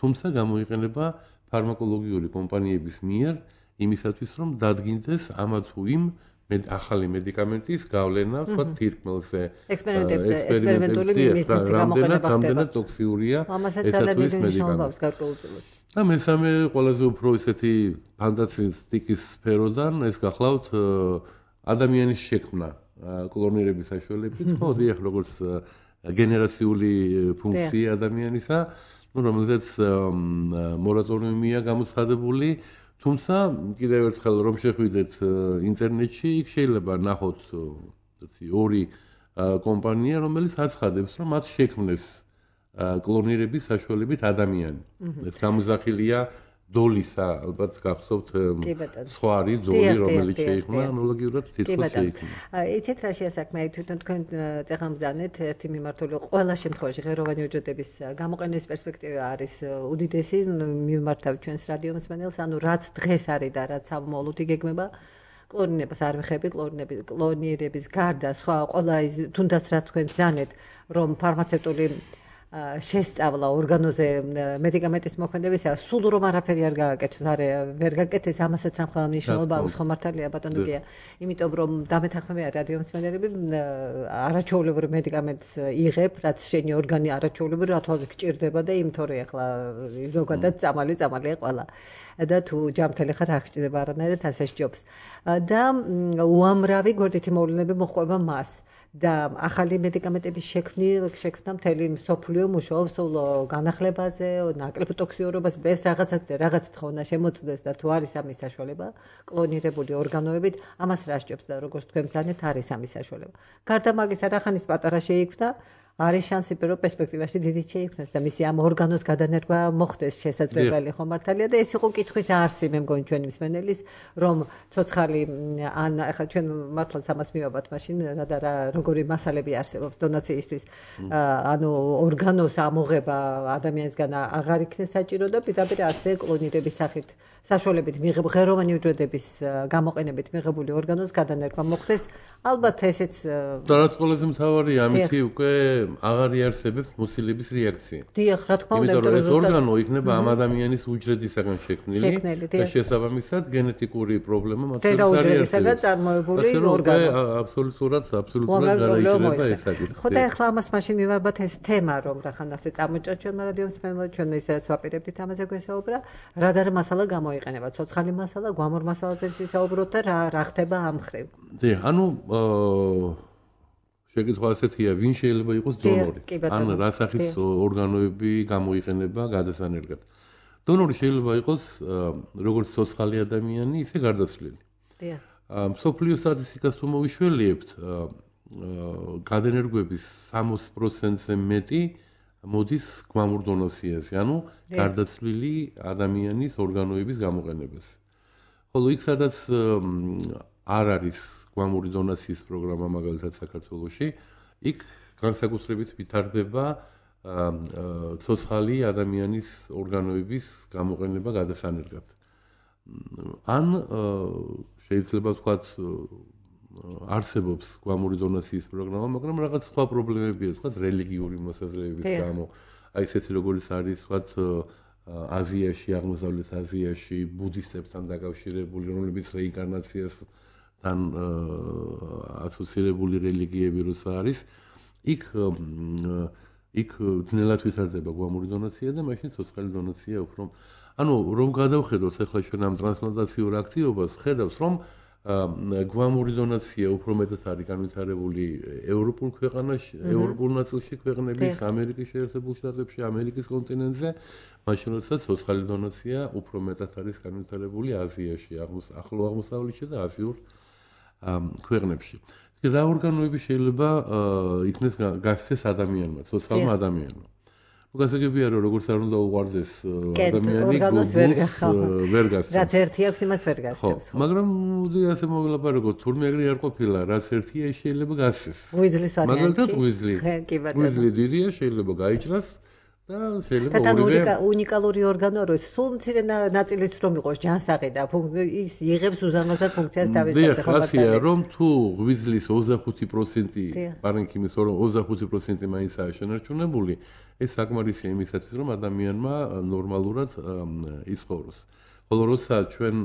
თუმცა გამოიყენება ფარმაკოლოგიური კომპანიების მიერ იმისათვის, რომ დადგინდეს ამა თუ იმ ახალი მედიკამენტის გავლენა, თქვა თირკმელზე. ექსპერიმენტული მიზნით გამოყენება ხდება. რამდენად ტოქსიურია ესათვის მედიკამენტი. და მესამე ყველაზე უფრო ისეთი ფანტასტიკის სფეროდან ეს გახლავთ ადამიანის შექმნა კლონირების საშუალებით, ხო, დიახ, როგორც გენერაციული ფუნქცია ადამიანისა, ну, რომელზეც მორატორიუმია გამოცხადებული, თუმცა კიდევ ერთხელ რომ შეხვიდეთ ინტერნეტში, იქ შეიძლება ნახოთ ორი კომპანია, რომელიც აცხადებს, რომ მათ შექმნეს კლონირების საშუალებით ადამიანი. ეს გამოზახილია დოლისა, ალბათ გახსოვთ სხვა არის დოლი, რომელიც შეიქმნა ანალოგიურად თითქოს შეიქმნა. იცით რა შეასაქმე, თვითონ თქვენ წეღამბზანეთ ერთი მიმართული ყველა შემთხვევაში ღეროვანი უჯრედების გამოყენების პერსპექტივა არის უდიდესი, მიმართავ ჩვენს რადიო მსმენელს, ანუ რაც დღეს არის და რაც ამოვლოდ იგეგმება კლონირებას არ ვიხები, კლონირების კლონირების გარდა სხვა ყველა ის თუნდაც რა თქვენ ბზანეთ, რომ ფარმაცევტული შესწავლა ორგანოზე მედიკამენტის მოქმედებისა, სულ რომ არაფერი არ გააკეთოს, არ ვერ გაკეთეს, ამასაც რა მხოლოდ მნიშვნელობა აქვს, ხო მართალია ბატონო გია, იმიტომ რომ დამეთანხმებია რადიო მსმენელები არაჩვეულებრივ მედიკამენტს იღებ, რაც შენი ორგანი არაჩვეულებრივ რა თვალს გჭირდება და იმ თორე ახლა ზოგადად წამალი წამალია ყველა. და თუ ჯამთელი ხარ არ გჭირდება არანაირად ასე სჯობს. და უამრავი გვერდითი მოვლენები მოხვება მას. და ახალი მედიკამენტების შექმნა მთელი მსოფლიო მუშაობს განახლებაზე, ნაკლებ ტოქსიურობაზე და ეს რაღაცას და რაღაცით ხო უნდა შემოწმდეს და თუ არის ამის საშუალება, კლონირებული ორგანოებით, ამას რა სჯობს და როგორც თქვენ ბრძანეთ, არის ამის საშუალება. გარდა მაგისა, რახანის პატარა შეიქმნა, არის შანსი, რომ პერსპექტივაში დიდი შეიქმნას და მისი ამ ორგანოს გადანერგვა მოხდეს შესაძლებელი, ხო მართალია და ეს იყო კითხვის არსი, მე მგონი ჩვენი მსმენელის, რომ ცოცხალი ან ახლა ჩვენ მართლაც ამას მივაბათ მაშინ რა და რა როგორი მასალები არსებობს დონაციისთვის, ანუ ორგანოს ამოღება ადამიანისგან აღარ იქნეს საჭირო და პირდაპირ ასე კლონირების სახით საშუალებით მიღებული ღეროვანი უჯრედების გამოყენებით მიღებული ორგანოს გადანერგვა მოხდეს, ალბათ ესეც და რაც ყველაზე მთავარია, ამითი უკვე აღარ იარსებებს მოცილების რეაქცია. დიახ, რა თქმა უნდა, იმიტომ რომ ეს ორგანო იქნება ამ ადამიანის უჯრედისაგან შექმნილი და შესაბამისად გენეტიკური პრობლემა მათ შორის არის. უჯრედისაგან წარმოებული ორგანო. აბსოლუტურად, აბსოლუტურად გარაიქნება ეს საკითხი. ხო და ახლა ამას მაშინ მივაბათ ეს თემა, რომ რახან ასე წამოჭრა ჩვენმა რადიო მსმენელმა, ჩვენ ისედაც ვაპირებდით ამაზე გვესაუბრა, რა და რა მასალა გამოიყენება, ცოცხალი მასალა, გვამურ მასალაზე ვისაუბროთ და რა რა ხდება ამ მხრივ. დიახ, ანუ შეკითხვა ასეთია, ვინ შეიძლება იყოს დონორი? ან რა სახის ორგანოები გამოიყენება გადასანერგად? დონორი შეიძლება იყოს როგორც ცოცხალი ადამიანი, ისე გარდაცვლილი. დიახ. მსოფლიო სტატისტიკას თუ მოვიშველიებთ, გადანერგვების სამოცი პროცენტზე მეტი მოდის გვამურ დონაციაზე, ანუ გარდაცვლილი ადამიანის ორგანოების გამოყენებაზე. ხოლო იქ სადაც არ არის გვამური დონაციის პროგრამა მაგალითად საქართველოში, იქ განსაკუთრებით ვითარდება ცოცხალი ადამიანის ორგანოების გამოყენება გადასანერგად. ან შეიძლება ვთქვათ არსებობს გვამური დონაციის პროგრამა, მაგრამ რაღაც სხვა პრობლემებია, ვთქვათ რელიგიური მოსაზრებების გამო. აი ესეთი როგორიც არის, ვთქვათ აზიაში, აღმოსავლეთ აზიაში ბუდისტებთან დაკავშირებული, რომლებიც რეინკარნაციას თან ასოცირებული რელიგიები როცა არის, იქ იქ ძნელად ვითარდება გვამური დონაცია და მაშინ ცოცხალი დონაცია უფრო. ანუ რომ გადავხედოთ ახლა ჩვენ ამ ტრანსპლანტაციურ აქტივობას, ხედავს რომ გვამური დონაცია უფრო მეტად არის განვითარებული ევროპულ ქვეყანაში, ევროპულ ნაწილში ქვეყნების, ამერიკის შეერთებულ შტატებში, ამერიკის კონტინენტზე, მაშინ როცა ცოცხალი დონაცია უფრო მეტად არის განვითარებული აზიაში, ახლო აღმოსავლეთში და აზიურ ქვეყნებში. რა ორგანოები შეიძლება იქნეს გასცეს ადამიანმა, ცოცხალმა ადამიანმა? გასაგებია რომ როგორც არ უნდა უყარდეს ადამიანი ორგანოს ვერ გასცემს. რაც ერთი აქვს იმას ვერ გასცემს. მაგრამ მოდი ასე მოვილაპარაკოთ, თურმე ეგრე არ ყოფილა, რაც ერთია ის შეიძლება გასცეს. ღვიძლის ვარიანტი. მაგალითად ღვიძლი. ღვიძლი დიდია, შეიძლება გაიჭრას და შეიძლება ორივე. და უნიკალური ორგანოა, რომ სულ მცირე ნაწილიც რომ იყოს ჯანსაღი და ის იღებს უზარმაზარ ფუნქციას დავიწყებს ხო ბატონო. რომ თუ ღვიძლის ოცდახუთი პროცენტი პარენქიმის ოცდახუთი პროცენტი მაინცაა შენარჩუნებული, ეს საკმარისია იმისათვის, რომ ადამიანმა ნორმალურად იცხოვროს. ხოლო როცა ჩვენ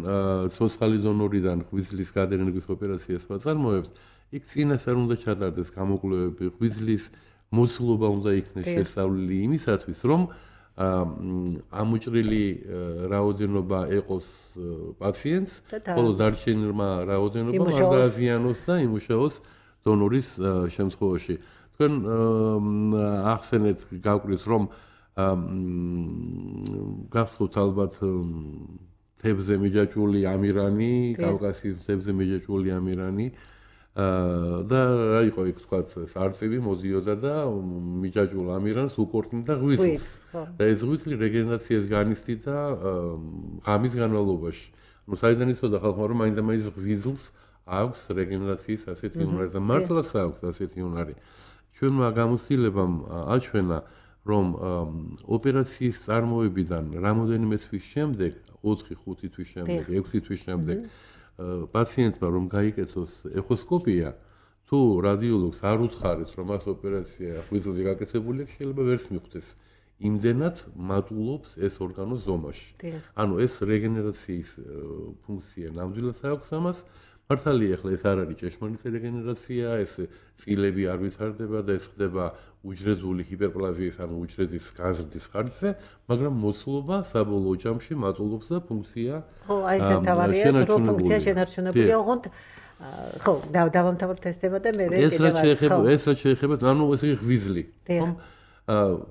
ცოცხალი დონორიდან ღვიძლის გადაენერგვის ოპერაციას ვაწარმოებთ, იქ წინას არ უნდა ჩატარდეს გამოკვლევები, ღვიძლის მოცულობა უნდა იქნეს შესწავლილი იმისათვის, რომ ამოჭრილი რაოდენობა ეყოს პაციენტს, ხოლო დარჩენილმა რაოდენობა არ დააზიანოს და იმუშაოს დონორის შემთხვევაში. თქვენ ახსენეთ გაგვყრით, რომ გახსოვთ ალბათ თევზე მიჯაჭვული ამირანი, კავკასიის თევზე მიჯაჭვული ამირანი და რა იყო იქ თქვათ არწივი მოდიოდა და მიჯაჭვულ ამირანს უკორტნიდა ღვიძლს. და ეს ღვიძლი რეგენერაციას განიცდიდა ღამის განმავლობაში. ნუ საიდან იცოდა ხალხმა რომ მაინდა მაინც ღვიძლს აქვს რეგენერაციის ასეთი უნარი და მართლაც აქვს ასეთი უნარი. ჩვენმა გამოცდილებამ აჩვენა, რომ ოპერაციის წარმოებიდან რამოდენიმე თვის შემდეგ, ოთხი ხუთი თვის შემდეგ, ექვსი თვის შემდეგ პაციენტმა რომ გაიკეთოს ეხოსკოპია, თუ რადიოლოგს არ უთხარეს, რომ მას ოპერაცია ღვიძლზე გაკეთებული აქვს, შეიძლება ვერც მიხვდეს. იმდენად მატულობს ეს ორგანო ზომაში. ანუ ეს რეგენერაციის ფუნქცია ნამდვილად აქვს ამას. მართალია, ახლა ეს არ არის ჭეშმარიტი რეგენერაცია, ეს წილები არ ვითარდება და ეს ხდება უჯრედული ჰიპერპლაზიის, ანუ უჯრედის გაზრდის ხარჯზე, მაგრამ მოცულობა საბოლოო ჯამში მატულობს და ფუნქცია ხო, აი ეს თავარია, რომ ფუნქცია შენარჩუნებულია, ოღონდ ხო, დავამთავროთ ეს თემა და მე კიდევ ახლა ეს რაც შეეხება, ანუ ეს იგი ღვიძლი, ხომ?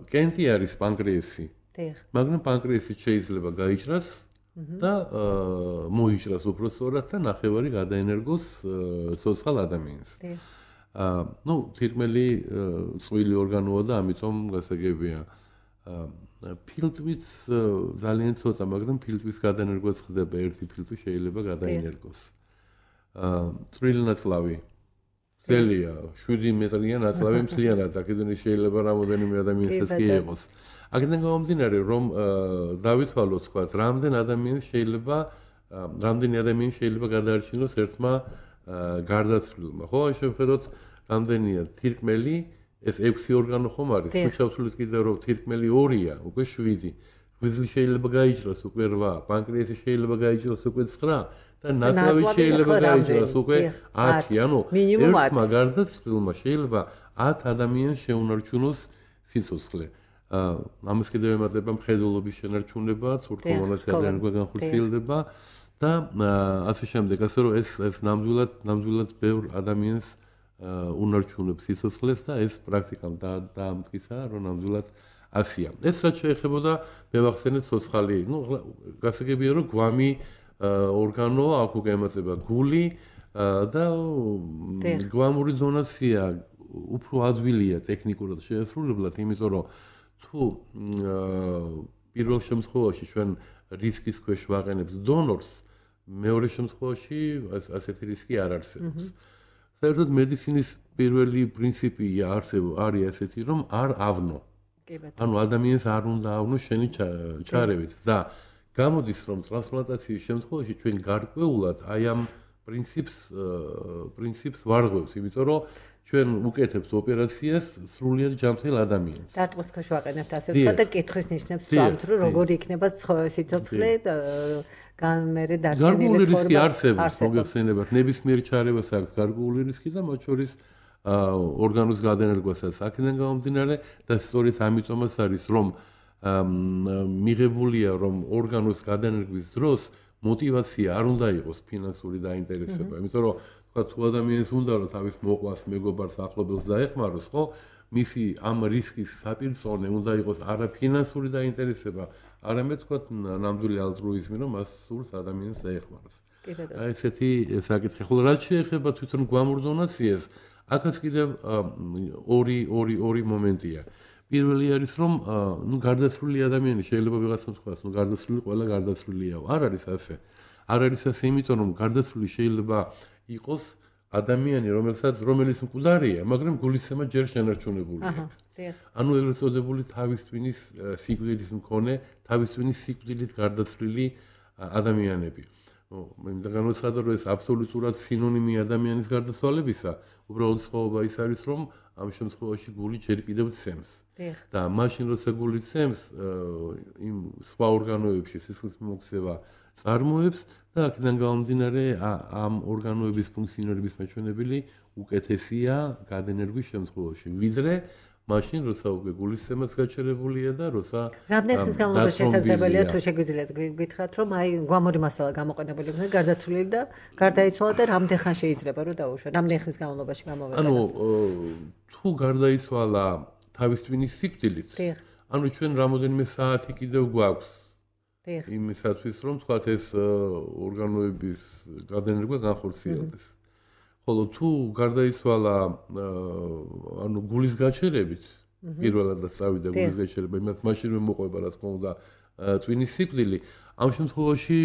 კენტი არის პანკრეასი. მაგრამ პანკრეასი შეიძლება გაიჭრას და მოიჭრას უფრო სწორად და ნახევარი გადაენერგოს ცოცხალ ადამიანს. აა, ну, თითქმელი წვილი ორგანოა და ამიტომ გასაგებია. ფილტვიც ძალიან ცოტა, მაგრამ ფილტვის გადაენერგოც ხდება, ერთი ფილტვი შეიძლება გადაენერგოს. აა, წვრილი ნაწლავი ძელია, შვიდი მეტრია ნაწლავი მთლიანად, აქედან შეიძლება რამოდენიმე ადამიანსაც კი იყოს. აქედან გამომდინარე, რომ დავითვალოთ, თქვა, რამდენ ადამიანს შეიძლება, რამდენი ადამიანი შეიძლება გადაარჩინოს ერთმა გარდაცვლილმა. ხო, შევხედოთ, რამდენია თირკმელი, ეს ექვსი ორგანო ხომ არის, თუ შევთვლით კიდევ რომ თირკმელი ორია, უკვე შვიდი. ღვიძლი შეიძლება გაიჭრას უკვე რვა, პანკრეასი შეიძლება გაიჭრას უკვე ცხრა და ნაწლავი შეიძლება გაიჭრას უკვე ათი. ანუ ერთმა გარდაცვლილმა შეიძლება ათ ადამიანს შეუნარჩუნოს სიცოცხლე. ამას კიდევ ემატება მხედველობის შენარჩუნება, თურქულოვანას გადაენერგვა განხორციელდება და ასე შემდეგ, ასე რომ ეს ეს ნამდვილად ნამდვილად ბევრ ადამიანს უნარჩუნებს სიცოცხლეს და ეს პრაქტიკამ დაამტკიცა, რომ ნამდვილად ასია. ეს რაც შეეხებოდა მევახსენეთ ცოცხალი, ну, გასაგებია რომ გვამი ორგანო აქ უკვე ემატება გული და გვამური დონაცია უფრო ადვილია ტექნიკურად შეესრულებლად, იმიტომ რომ თუ პირველ შემთხვევაში ჩვენ რისკის ქვეშ ვაყენებთ დონორს, მეორე შემთხვევაში ასეთი რისკი არ არსებობს. საერთოდ მედიცინის პირველი პრინციპი არის ასეთი, რომ არ ავნო. ანუ ადამიანს არ უნდა ავნო შენი ჩარევით და გამოდის, რომ ტრანსპლანტაციის შემთხვევაში ჩვენ გარკვეულად აი ამ პრინციპს პრინციპს ვარღვევთ, იმიტომ რომ ჩვენ უკეთებთ ოპერაციას სრულიად ჯანმრთელ ადამიანს. დარტყმის ქვეშ ვაყენებთ ასე ვთქვათ და კითხვის ნიშნებს ვამთ, რომ როგორი იქნება სიცოცხლე და განმერე დარჩენილი ცხოვრება. გარკვეული რისკი არსებობს, მოგეხსენებათ, ნებისმიერ ჩარევას აქვს გარკვეული რისკი და მათ შორის ორგანოს გადაენერგვასაც აქედან გამომდინარე და სწორედ ამიტომაც არის, რომ მიღებულია, რომ ორგანოს გადაენერგვის დროს мотивация არ უნდა იყოს ფინანსური დაინტერესება, იმიტომ რომ თუ ადამიანს უნდა რომ თავის მოყვას, მეგობარს, ახლობელს დაეხმაროს, ხო? მისი ამ რისკის საპირწონე უნდა იყოს არა ფინანსური დაინტერესება, არამედ თქვა ნამდვილი ალტრუიზმი, რომ მას სურს ადამიანს დაეხმაროს. აი ესეთი საკითხი. ხოლო რაც შეეხება თვითონ გვამურ დონაციას, აქაც კიდევ ორი ორი ორი მომენტია. პირველი არის რომ ნუ გარდაცვლილი ადამიანი შეიძლება ვიღაცამ თქვას, ნუ გარდაცვლილი ყველა გარდაცვლილია. არ არის ასე. არ არის ასე, იმიტომ რომ გარდაცვლილი შეიძლება იყოს ადამიანი, რომელსაც რომელიც მკვდარია, მაგრამ გულისცემა ჯერ შენარჩუნებულია. ანუ ეგრეთ წოდებული თავის ტვინის სიკვდილის მქონე, თავის ტვინის სიკვდილით გარდაცვლილი ადამიანები. მინდა განვაცხადო, რომ ეს აბსოლუტურად სინონიმი ადამიანის გარდაცვალებისა, უბრალოდ სხვაობა ის არის, რომ ამ შემთხვევაში გული ჯერ კიდევ ცემს. და მაშინ როცა გული ცემს, იმ სხვა ორგანოებში სისხლის მიმოქცევა წარმოებს და აქედან გამომდინარე ამ ორგანოების ფუნქციონირების მაჩვენებელი უკეთესია გადენერგვის შემთხვევაში, ვიდრე მაშინ როცა უკვე გულისცემაც გაჩერებულია და როცა რამდენი ხნის განმავლობაში შესაძლებელია თუ შეგვიძლიათ გითხრათ რომ აი გვამური მასალა გამოყენებული იქნება გარდაცვლილი და გარდაიცვალა და რამდენ ხანს შეიძლება რომ დაუშვა რამდენი ხნის განმავლობაში გამოვიდა ანუ თუ გარდაიცვალა თავის ტვინის სიკვდილით ანუ ჩვენ რამოდენიმე საათი კიდევ გვაქვს იმისათვის რომ თქვათ ეს ორგანოების გადენერგვა განხორციელდეს ხოლო თუ გარდაიცვალა ანუ გულის გაჩერებით პირველად და წავიდა გულის გაჩერება იმათ მაშინვე მოყვება რა თქმა უნდა ტვინის სიკვდილი ამ შემთხვევაში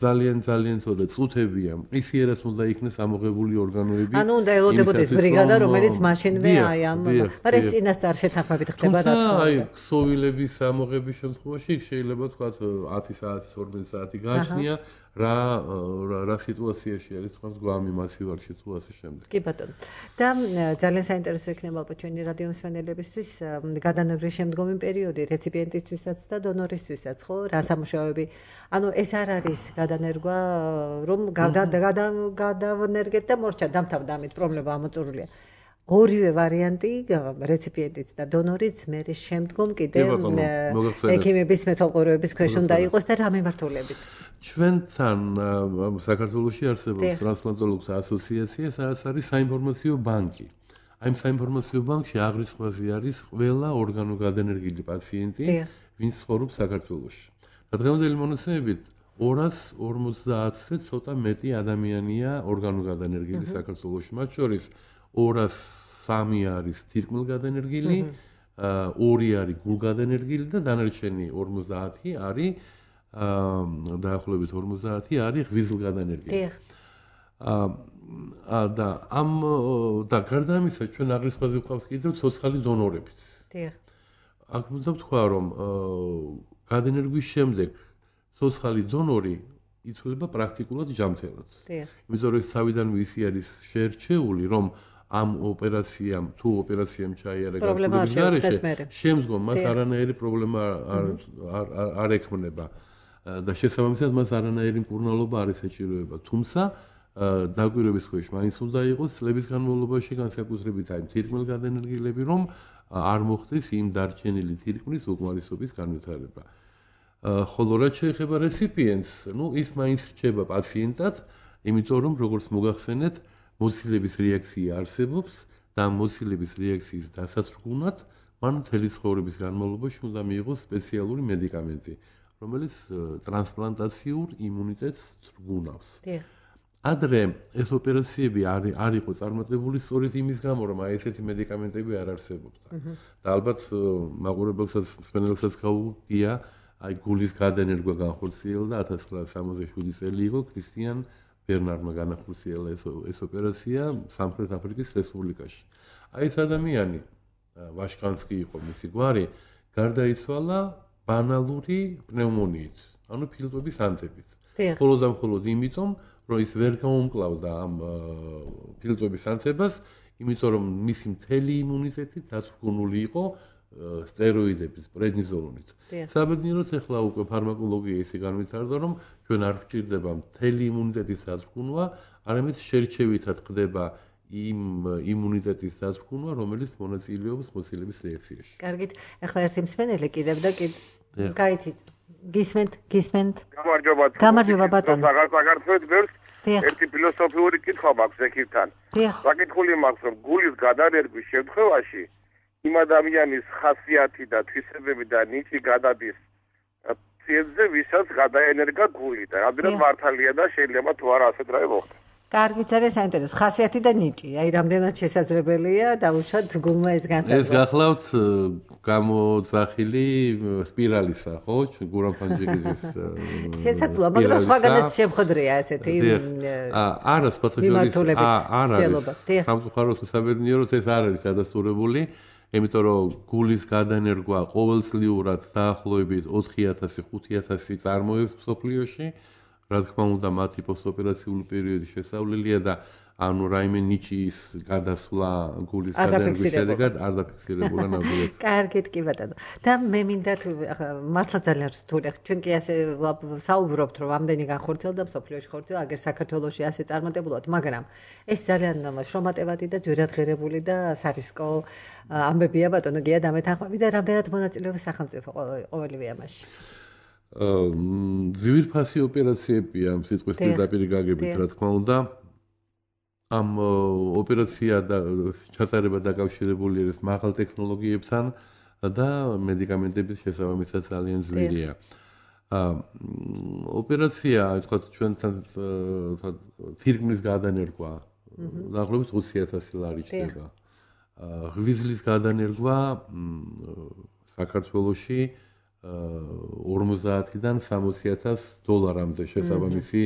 ძალიან ძალიან ცოტა წუთებია ისიერაც უნდა იქნეს ამოღებული ორგანოები ანუ უნდა ელოდებოდეს ბრიგადა რომელიც მაშინვე აი ამ მაგრამ ეს წინასწარ შეთანხმებით ხდება რა თქმა უნდა აი ქსოვილების ამოღების შემთხვევაში შეიძლება თქვა ათი საათი ორმოცი საათი გააჩნია რა რა სიტუაციაში არის თქვა გვამი მასივარში თუ ასე შემდეგ. კი ბატონო. და ძალიან საინტერესო იქნება ალბათ ჩვენი რადიო მსმენელებისთვის გადანერგვის შემდგომი პერიოდი რეციპიენტისთვისაც და დონორისთვისაც, ხო? რა სამუშაოები. ანუ ეს არ არის გადანერგვა, რომ გადავნერგეთ და მორჩა დამთავრდა ამით პრობლემა ამოწურულია. ორივე ვარიანტი რეციპიენტიც და დონორიც მე შემდგომ კიდე ექიმების მეთვალყურეობის ქვეშ უნდა იყოს და რა მიმართულებით. ჩვენთან საქართველოში არსებობს ტრანსპლანტოლოგთა ასოციაცია, სადაც არის საინფორმაციო ბანკი. აი ამ საინფორმაციო ბანკში აღრიცხვაზე არის ყველა ორგანოგადენერგილი პაციენტი, ვინც ცხოვრობს საქართველოში. და დღევანდელი მონაცემებით ორას ორმოცდაათზე ცოტა მეტი ადამიანია ორგანოგადენერგილი საქართველოში, მათ შორის ორას სამი არის თირკმელგადენერგილი, ორი არის გულგადენერგილი და დანარჩენი ორმოცდაათი არის დაახლოებით ორმოცდაათი არის ღვიძლგადენერგილი. აა და ამ და გარდა ამისა ჩვენ აღრიცხვაზე გვყავს კიდევ ცოცხალი დონორებიც. დიახ. აქ უნდა ვთქვა რომ გადენერგვის შემდეგ ცოცხალი დონორი ითვლება პრაქტიკულად ჯანმრთელად. დიახ. იმიტომ რომ თავიდანვე ისი არის შეერჩეული რომ ამ ოპერაციამ თუ ოპერაციამ ჩაიარა გარეშე შემდგომ მას არანაირი პრობლემა არ არ ექმნება და შესაბამისად მას არანაირი მკურნალობა არ ესაჭიროება თუმცა დაკვირვების ქვეშ მაინც უნდა იყოს წლების განმავლობაში განსაკუთრებით აი თირკმელგადენერგილები რომ არ მოხდეს იმ დარჩენილი თირკმლის უკმარისობის განვითარება ხოლო რაც შეეხება რეციპიენტს ნუ ის მაინც რჩება პაციენტად იმიტომ რომ როგორც მოგახსენეთ მოცილების რეაქცია არსებობს და მოცილების რეაქციის დასაცრგუნად მან მთელი ცხოვრების განმავლობაში უნდა მიიღოს სპეციალური მედიკამენტი, რომელიც ტრანსპლანტაციურ იმუნიტეტს ცრგუნავს. ადრე ეს ოპერაციები არ იყო წარმატებული სწორედ იმის გამო, რომ აი ესეთი მედიკამენტები არ არსებობდა. და ალბათ მაყურებელსაც, მსმენელსაც გაუგია, აი გულის გადენერგვა განხორციელდა ათას ცხრაასი სამოცდაშვიდი წელი იყო ქრისტიან ბერნარმა განახორციელა ეს ეს ოპერაცია სამხრეთ აფრიკის რესპუბლიკაში. აი ეს ადამიანი ვაშკანსკი იყო მისი გვარი, გარდაიცვალა ბანალური პნევმონიით, ანუ ფილტვების ანთებით. მხოლოდ და მხოლოდ იმიტომ, რომ ის ვერ გაუმკლავდა ამ ფილტვების ანთებას, იმიტომ რომ მისი მთელი იმუნიტეტი დაცრგუნული იყო სტეროიდების, პრედნიზოლონით. საბედნიეროდ ახლა უკვე ფარმაკოლოგია ისე განვითარდა, რომ ჩვენ არ გვჭირდება მთელი იმუნიტეტის დაცრგუნვა, არამედ შერჩევითად ხდება იმ იმუნიტეტის დაცრგუნვა, რომელიც მონაწილეობს მოცილების რეაქციაში. კარგით, ახლა ერთი მსმენელი კიდევ და კიდევ გაიცით. გისმენთ, გისმენთ. გამარჯობა. გამარჯობა ბატონო. საქართველოს ბევრს ერთი ფილოსოფიური კითხვა მაქვს ექიმთან. საკითხული მაქვს, რომ გულის გადანერგვის შემთხვევაში იმ ადამიანის ხასიათი და თვისებები და ნიჭი გადადის პაციენტზე, ვისაც გადაენერგა გული და რამდენად მართალია და შეიძლება თუ არა ასეთ რა მოხდეს. კარგი, ძალიან საინტერესო. ხასიათი და ნიჭი. აი, რამდენად შესაძლებელია დავუშვათ გულმა ეს განსაზღვრა. ეს გახლავთ გამოძახილი სპირალისა, ხო? გურამ ფანჯიგიძის. შესაძლოა, მაგრამ სხვაგანაც შემხდრია ესეთი არა, სპორტოჟურის არა. სამწუხაროდ უსაბედნიეროდ ეს არ არის ადასტურებული, იმიტომ რომ გულის გადანერგვა ყოველწლიურად დაახლოებით ოთხი ათასი ხუთი ათასი წარმოებს მსოფლიოში. რა თქმა უნდა, მათი პოსტოპერაციული პერიოდი შესავლელია და ანუ რაიმე ნიჭის გადასვლა გულის გადანერგვის შედეგად არ დაფიქსირებულა ნამდვილად. კარგით, კი ბატონო. და მე მინდა თუ მართლა ძალიან რთულია. ჩვენ კი ასე საუბრობთ, რომ ამდენი განხორციელდა მსოფლიოში ხორციელდა, აგერ საქართველოში ასე წარმატებულად, მაგრამ ეს ძალიან შრომატევადი და ძვირადღირებული და სარისკო ამბებია ბატონო, გია დამეთანხმები და რამდენად მონაწილეობს სახელმწიფო ყოველივე ამაში. ძვირფასი ოპერაციებია ამ სიტყვის პირდაპირ გაგებით, რა თქმა უნდა. ამ ოპერაცია და ჩატარება დაკავშირებული არის მაღალ ტექნოლოგიებთან და მედიკამენტების შესაბამისად ძალიან ძვირია. ოპერაცია, თქვათ, ჩვენთან თირკმლის გადანერგვა დაახლოებით ოცი ათასი ლარი ხდება. ღვიძლის გადანერგვა საქართველოში ორმოცდაათიდან სამოცი ათას დოლარამდე შესაბამისი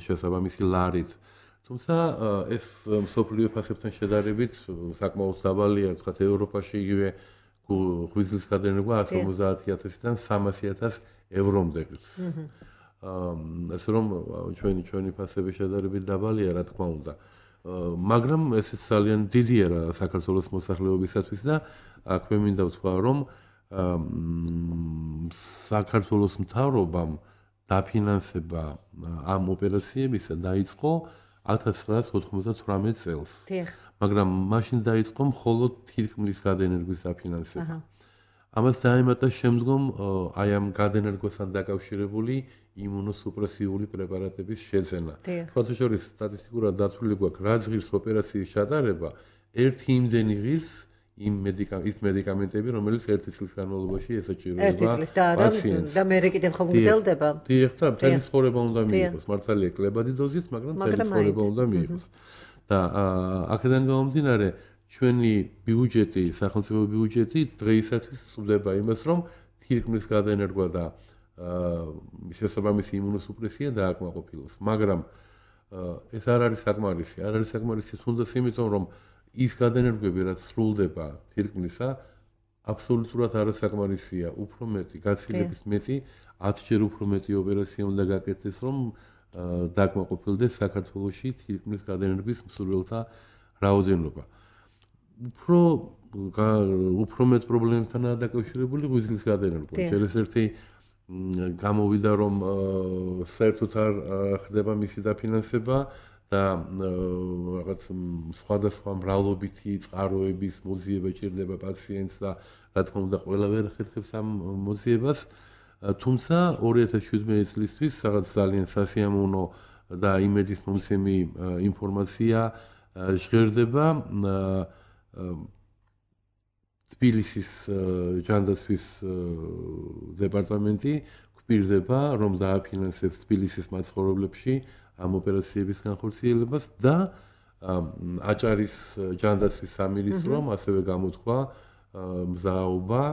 შესაბამისი ლარით. თუმცა ეს მსოფლიო ფასებთან შედარებით საკმაოდ დაბალია, თქვათ ევროპაში იგივე ღვიძლის გადანერგვა εκατს ორმოცდაათი ათასიდან სამასი ათას ევრომდე გწ. ასე რომ ჩვენი ჩვენი ფასები შედარებით დაბალია, რა თქმა უნდა. მაგრამ ესეც ძალიან დიდია რა საქართველოს მოსახლეობისათვის და აქ მე მინდა ვთქვა, რომ საქართველოს მთავრობამ დაფინანსება ამ ოპერაციებისა დაიწყო ათას ცხრაასი ოთხმოცდათვრამეტ წელს. მაგრამ მაშინ დაიწყო მხოლოდ თირკმლის გადანერგვის დაფინანსება. ამას დაემატა შემდგომ აი ამ გადანერგვასთან დაკავშირებული იმუნოსუპრესიული პრეპარატების შეძენა. სხვათა შორის სტატისტიკურად დათვლილი გვაქვს, რაც ღირს ოპერაციის ჩატარება, ერთი იმდენი ღირს იმ მედიკამენტები, რომელიც ერთი წლის განმავლობაში ესაჭიროება პაციენტს. და მე კიდევ ხომ გრძელდება? დიახ, მთელი ცხოვრება უნდა მიიღოს. მართალია კლებადი დოზით, მაგრამ მთელი ცხოვრება უნდა მიიღოს. და აქედან გამომდინარე, ჩვენი ბიუჯეტი, სახელმწიფო ბიუჯეტი დღეისათვის წვდება იმას, რომ თირკმლის გადანერგვა და შესაბამისი იმუნოსუპრესია დააკმაყოფილოს. მაგრამ ეს არ არის საკმარისი. არ არის საკმარისი თუნდაც იმიტომ, რომ ის გადანერგვები, რაც სრულდება თირკმლისა, აბსოლუტურად არასაკმარისია. უფრო მეტი, გაცილებით მეტი, ათჯერ უფრო მეტი ოპერაცია უნდა გაკეთდეს, რომ დაკმაყოფილდეს საქართველოში თირკმლის გადანერგვის მსურველთა რაოდენობა. უფრო უფრო მეტ პრობლემებთანაა დაკავშირებული ღვიძლის გადანერგვა. ჯერ ეს ერთი გამოვიდა, რომ საერთოდ არ ხდება მისი დაფინანსება და რაღაც სხვადასხვა მრავლობითი წყაროების მოძიება ჭირდება პაციენტს და რა თქმა უნდა ყველა ვერ ხერხებს ამ მოძიებას. თუმცა ორი ათას შვიდმეტი წლისთვის რაღაც ძალიან სასიამოვნო და იმედის მომცემი ინფორმაცია ჟღერდება თბილისის ჯანდაცვის დეპარტამენტი გვპირდება, რომ დააფინანსებს თბილისის მაცხოვრებლებში ამ ოპერაციების განხორციელებას და აჭარის ჯანდაცვის სამინისტრომ ასევე გამოთქვა მზაობა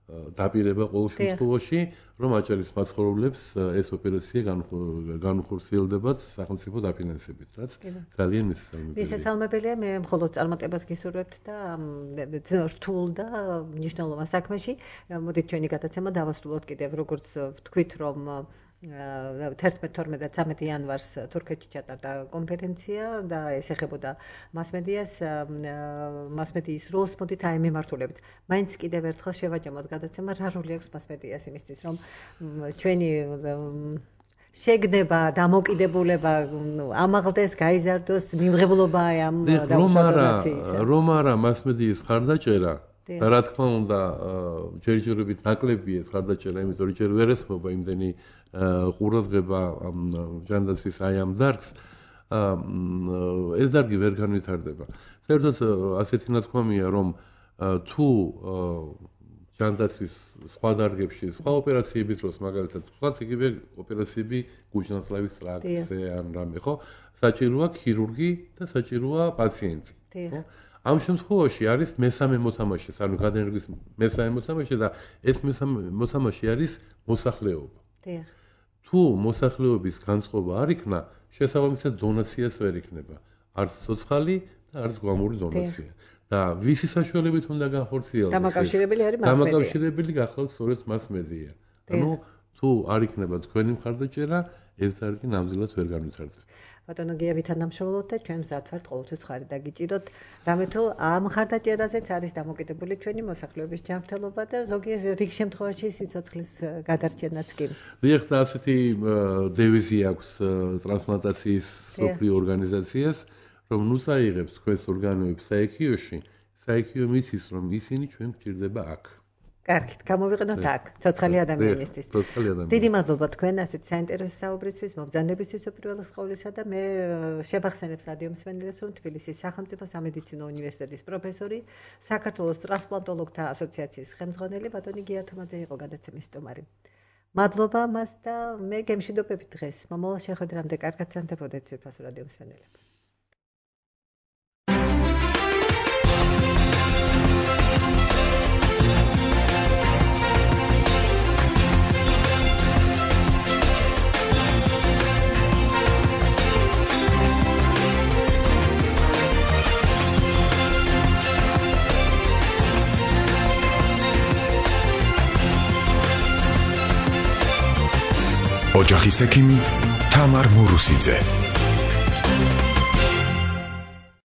დაპირება ყოველ შემთხვევაში, რომ აჭარის მაცხოვრებლებს ეს ოპერაცია განხორციელდებათ სახელმწიფო დაფინანსებით, რაც ძალიან მისასალმებელია. მისასალმებელია, მე მხოლოდ წარმატებას გისურვებთ და რთულ და მნიშვნელოვან საქმეში. მოდით ჩვენი გადაცემა დავასრულოთ კიდევ, როგორც ვთქვით, რომ თერთმეტ თორმეტ და ცამეტ იანვარს თურქეთში ჩატარდა კონფერენცია და ეს ეხებოდა მასმედიას, მასმედიის როლს. მოდით აი მემართულებით. მაინც კიდევ ერთხელ შევაჯამოთ გადაცემა, რა როლი აქვს მასმედიას იმისთვის, რომ ჩვენი შეგნება, დამოკიდებულება ამაღლდეს, გაიზარდოს, მიმღებლობა ამ დაუშვადონაციისა. რომ არა მასმედიის ხარდაჭერა და რა თქმა უნდა ჯერჯერობით ნაკლებია ხარდაჭერა, იმიტომ რომ ჯერ ვერ ესმობა იმდენი ყურადღება ჯანდაცვის აი ამ დარგს, ეს დარგი ვერ განვითარდება. საერთოდ ასეთი ნათქვამია, რომ თუ ჯანდაცვის სხვა დარგებში, სხვა ოპერაციების დროს, მაგალითად, თქვათ იგივე ოპერაციები გუჯნათლავის ტრაქტზე ან რამე, ხო? საჭიროა ქირურგი და საჭიროა პაციენტი. ხო? ამ შემთხვევაში არის მესამე მოთამაშე, ანუ გადაენერგვის მესამე მოთამაშე და ეს მესამე მოთამაშე არის მოსახლეობა. დიახ. თუ მოსახლეობის განწყობა არ იქნა, შესაბამისად დონაციას ვერ იქნება. არც ცოცხალი და არც გვამური დონაცია. და ვისი საშუალებით უნდა განხორციელდეს? დამაკავშირებელი არის მასმედია. დამაკავშირებელი გახლავთ სწორედ მასმედია. ანუ თუ არ იქნება თქვენი მხარდაჭერა, ეს დარგი ნამდვილად ვერ განვითარდება. ბატონო გიავი თანამშრომლობთ და ჩვენ მზად ვართ ყოველთვის ხარი დაგიჭიროთ. რამე თუ ამ მხარდაჭერაზეც არის დამოკიდებული ჩვენი მოსახლეობის ჯანმრთელობა და ზოგიერთ რიგ შემთხვევაში სიცოცხლის გადარჩენაც კი. დიახ, და ასეთი დევიზი აქვს ტრანსპლანტაციის მსოფლიო ორგანიზაციას, რომ ნუ წაიღებს თქვენს ორგანოებს საექიოში, საექიო მიცის, რომ ისინი ჩვენ გჭირდება აქ. კარგით, გამოვიყენოთ აქ, ცოცხალი ადამიანისთვის. ცოცხალი ადამიანი. დიდი მადლობა თქვენ ასეთ საინტერესო საუბრისთვის, მობრძანებისთვის უპირველეს ყოვლისა და მე შევახსენებ რადიო მსმენელებს, რომ თბილისის სახელმწიფო სამედიცინო უნივერსიტეტის პროფესორი, საქართველოს ტრანსპლანტოლოგთა ასოციაციის ხელმძღვანელი ბატონი გია თომაძე იყო გადაცემის სტუმარი. მადლობა მას და მე გემშვიდობებით დღეს. მომავალ შეხვედრამდე კარგად სანდებოდეთ ძვირფასო რადიო მსმენელები. ოჯახის ექიმი თამარ მურუსიძე.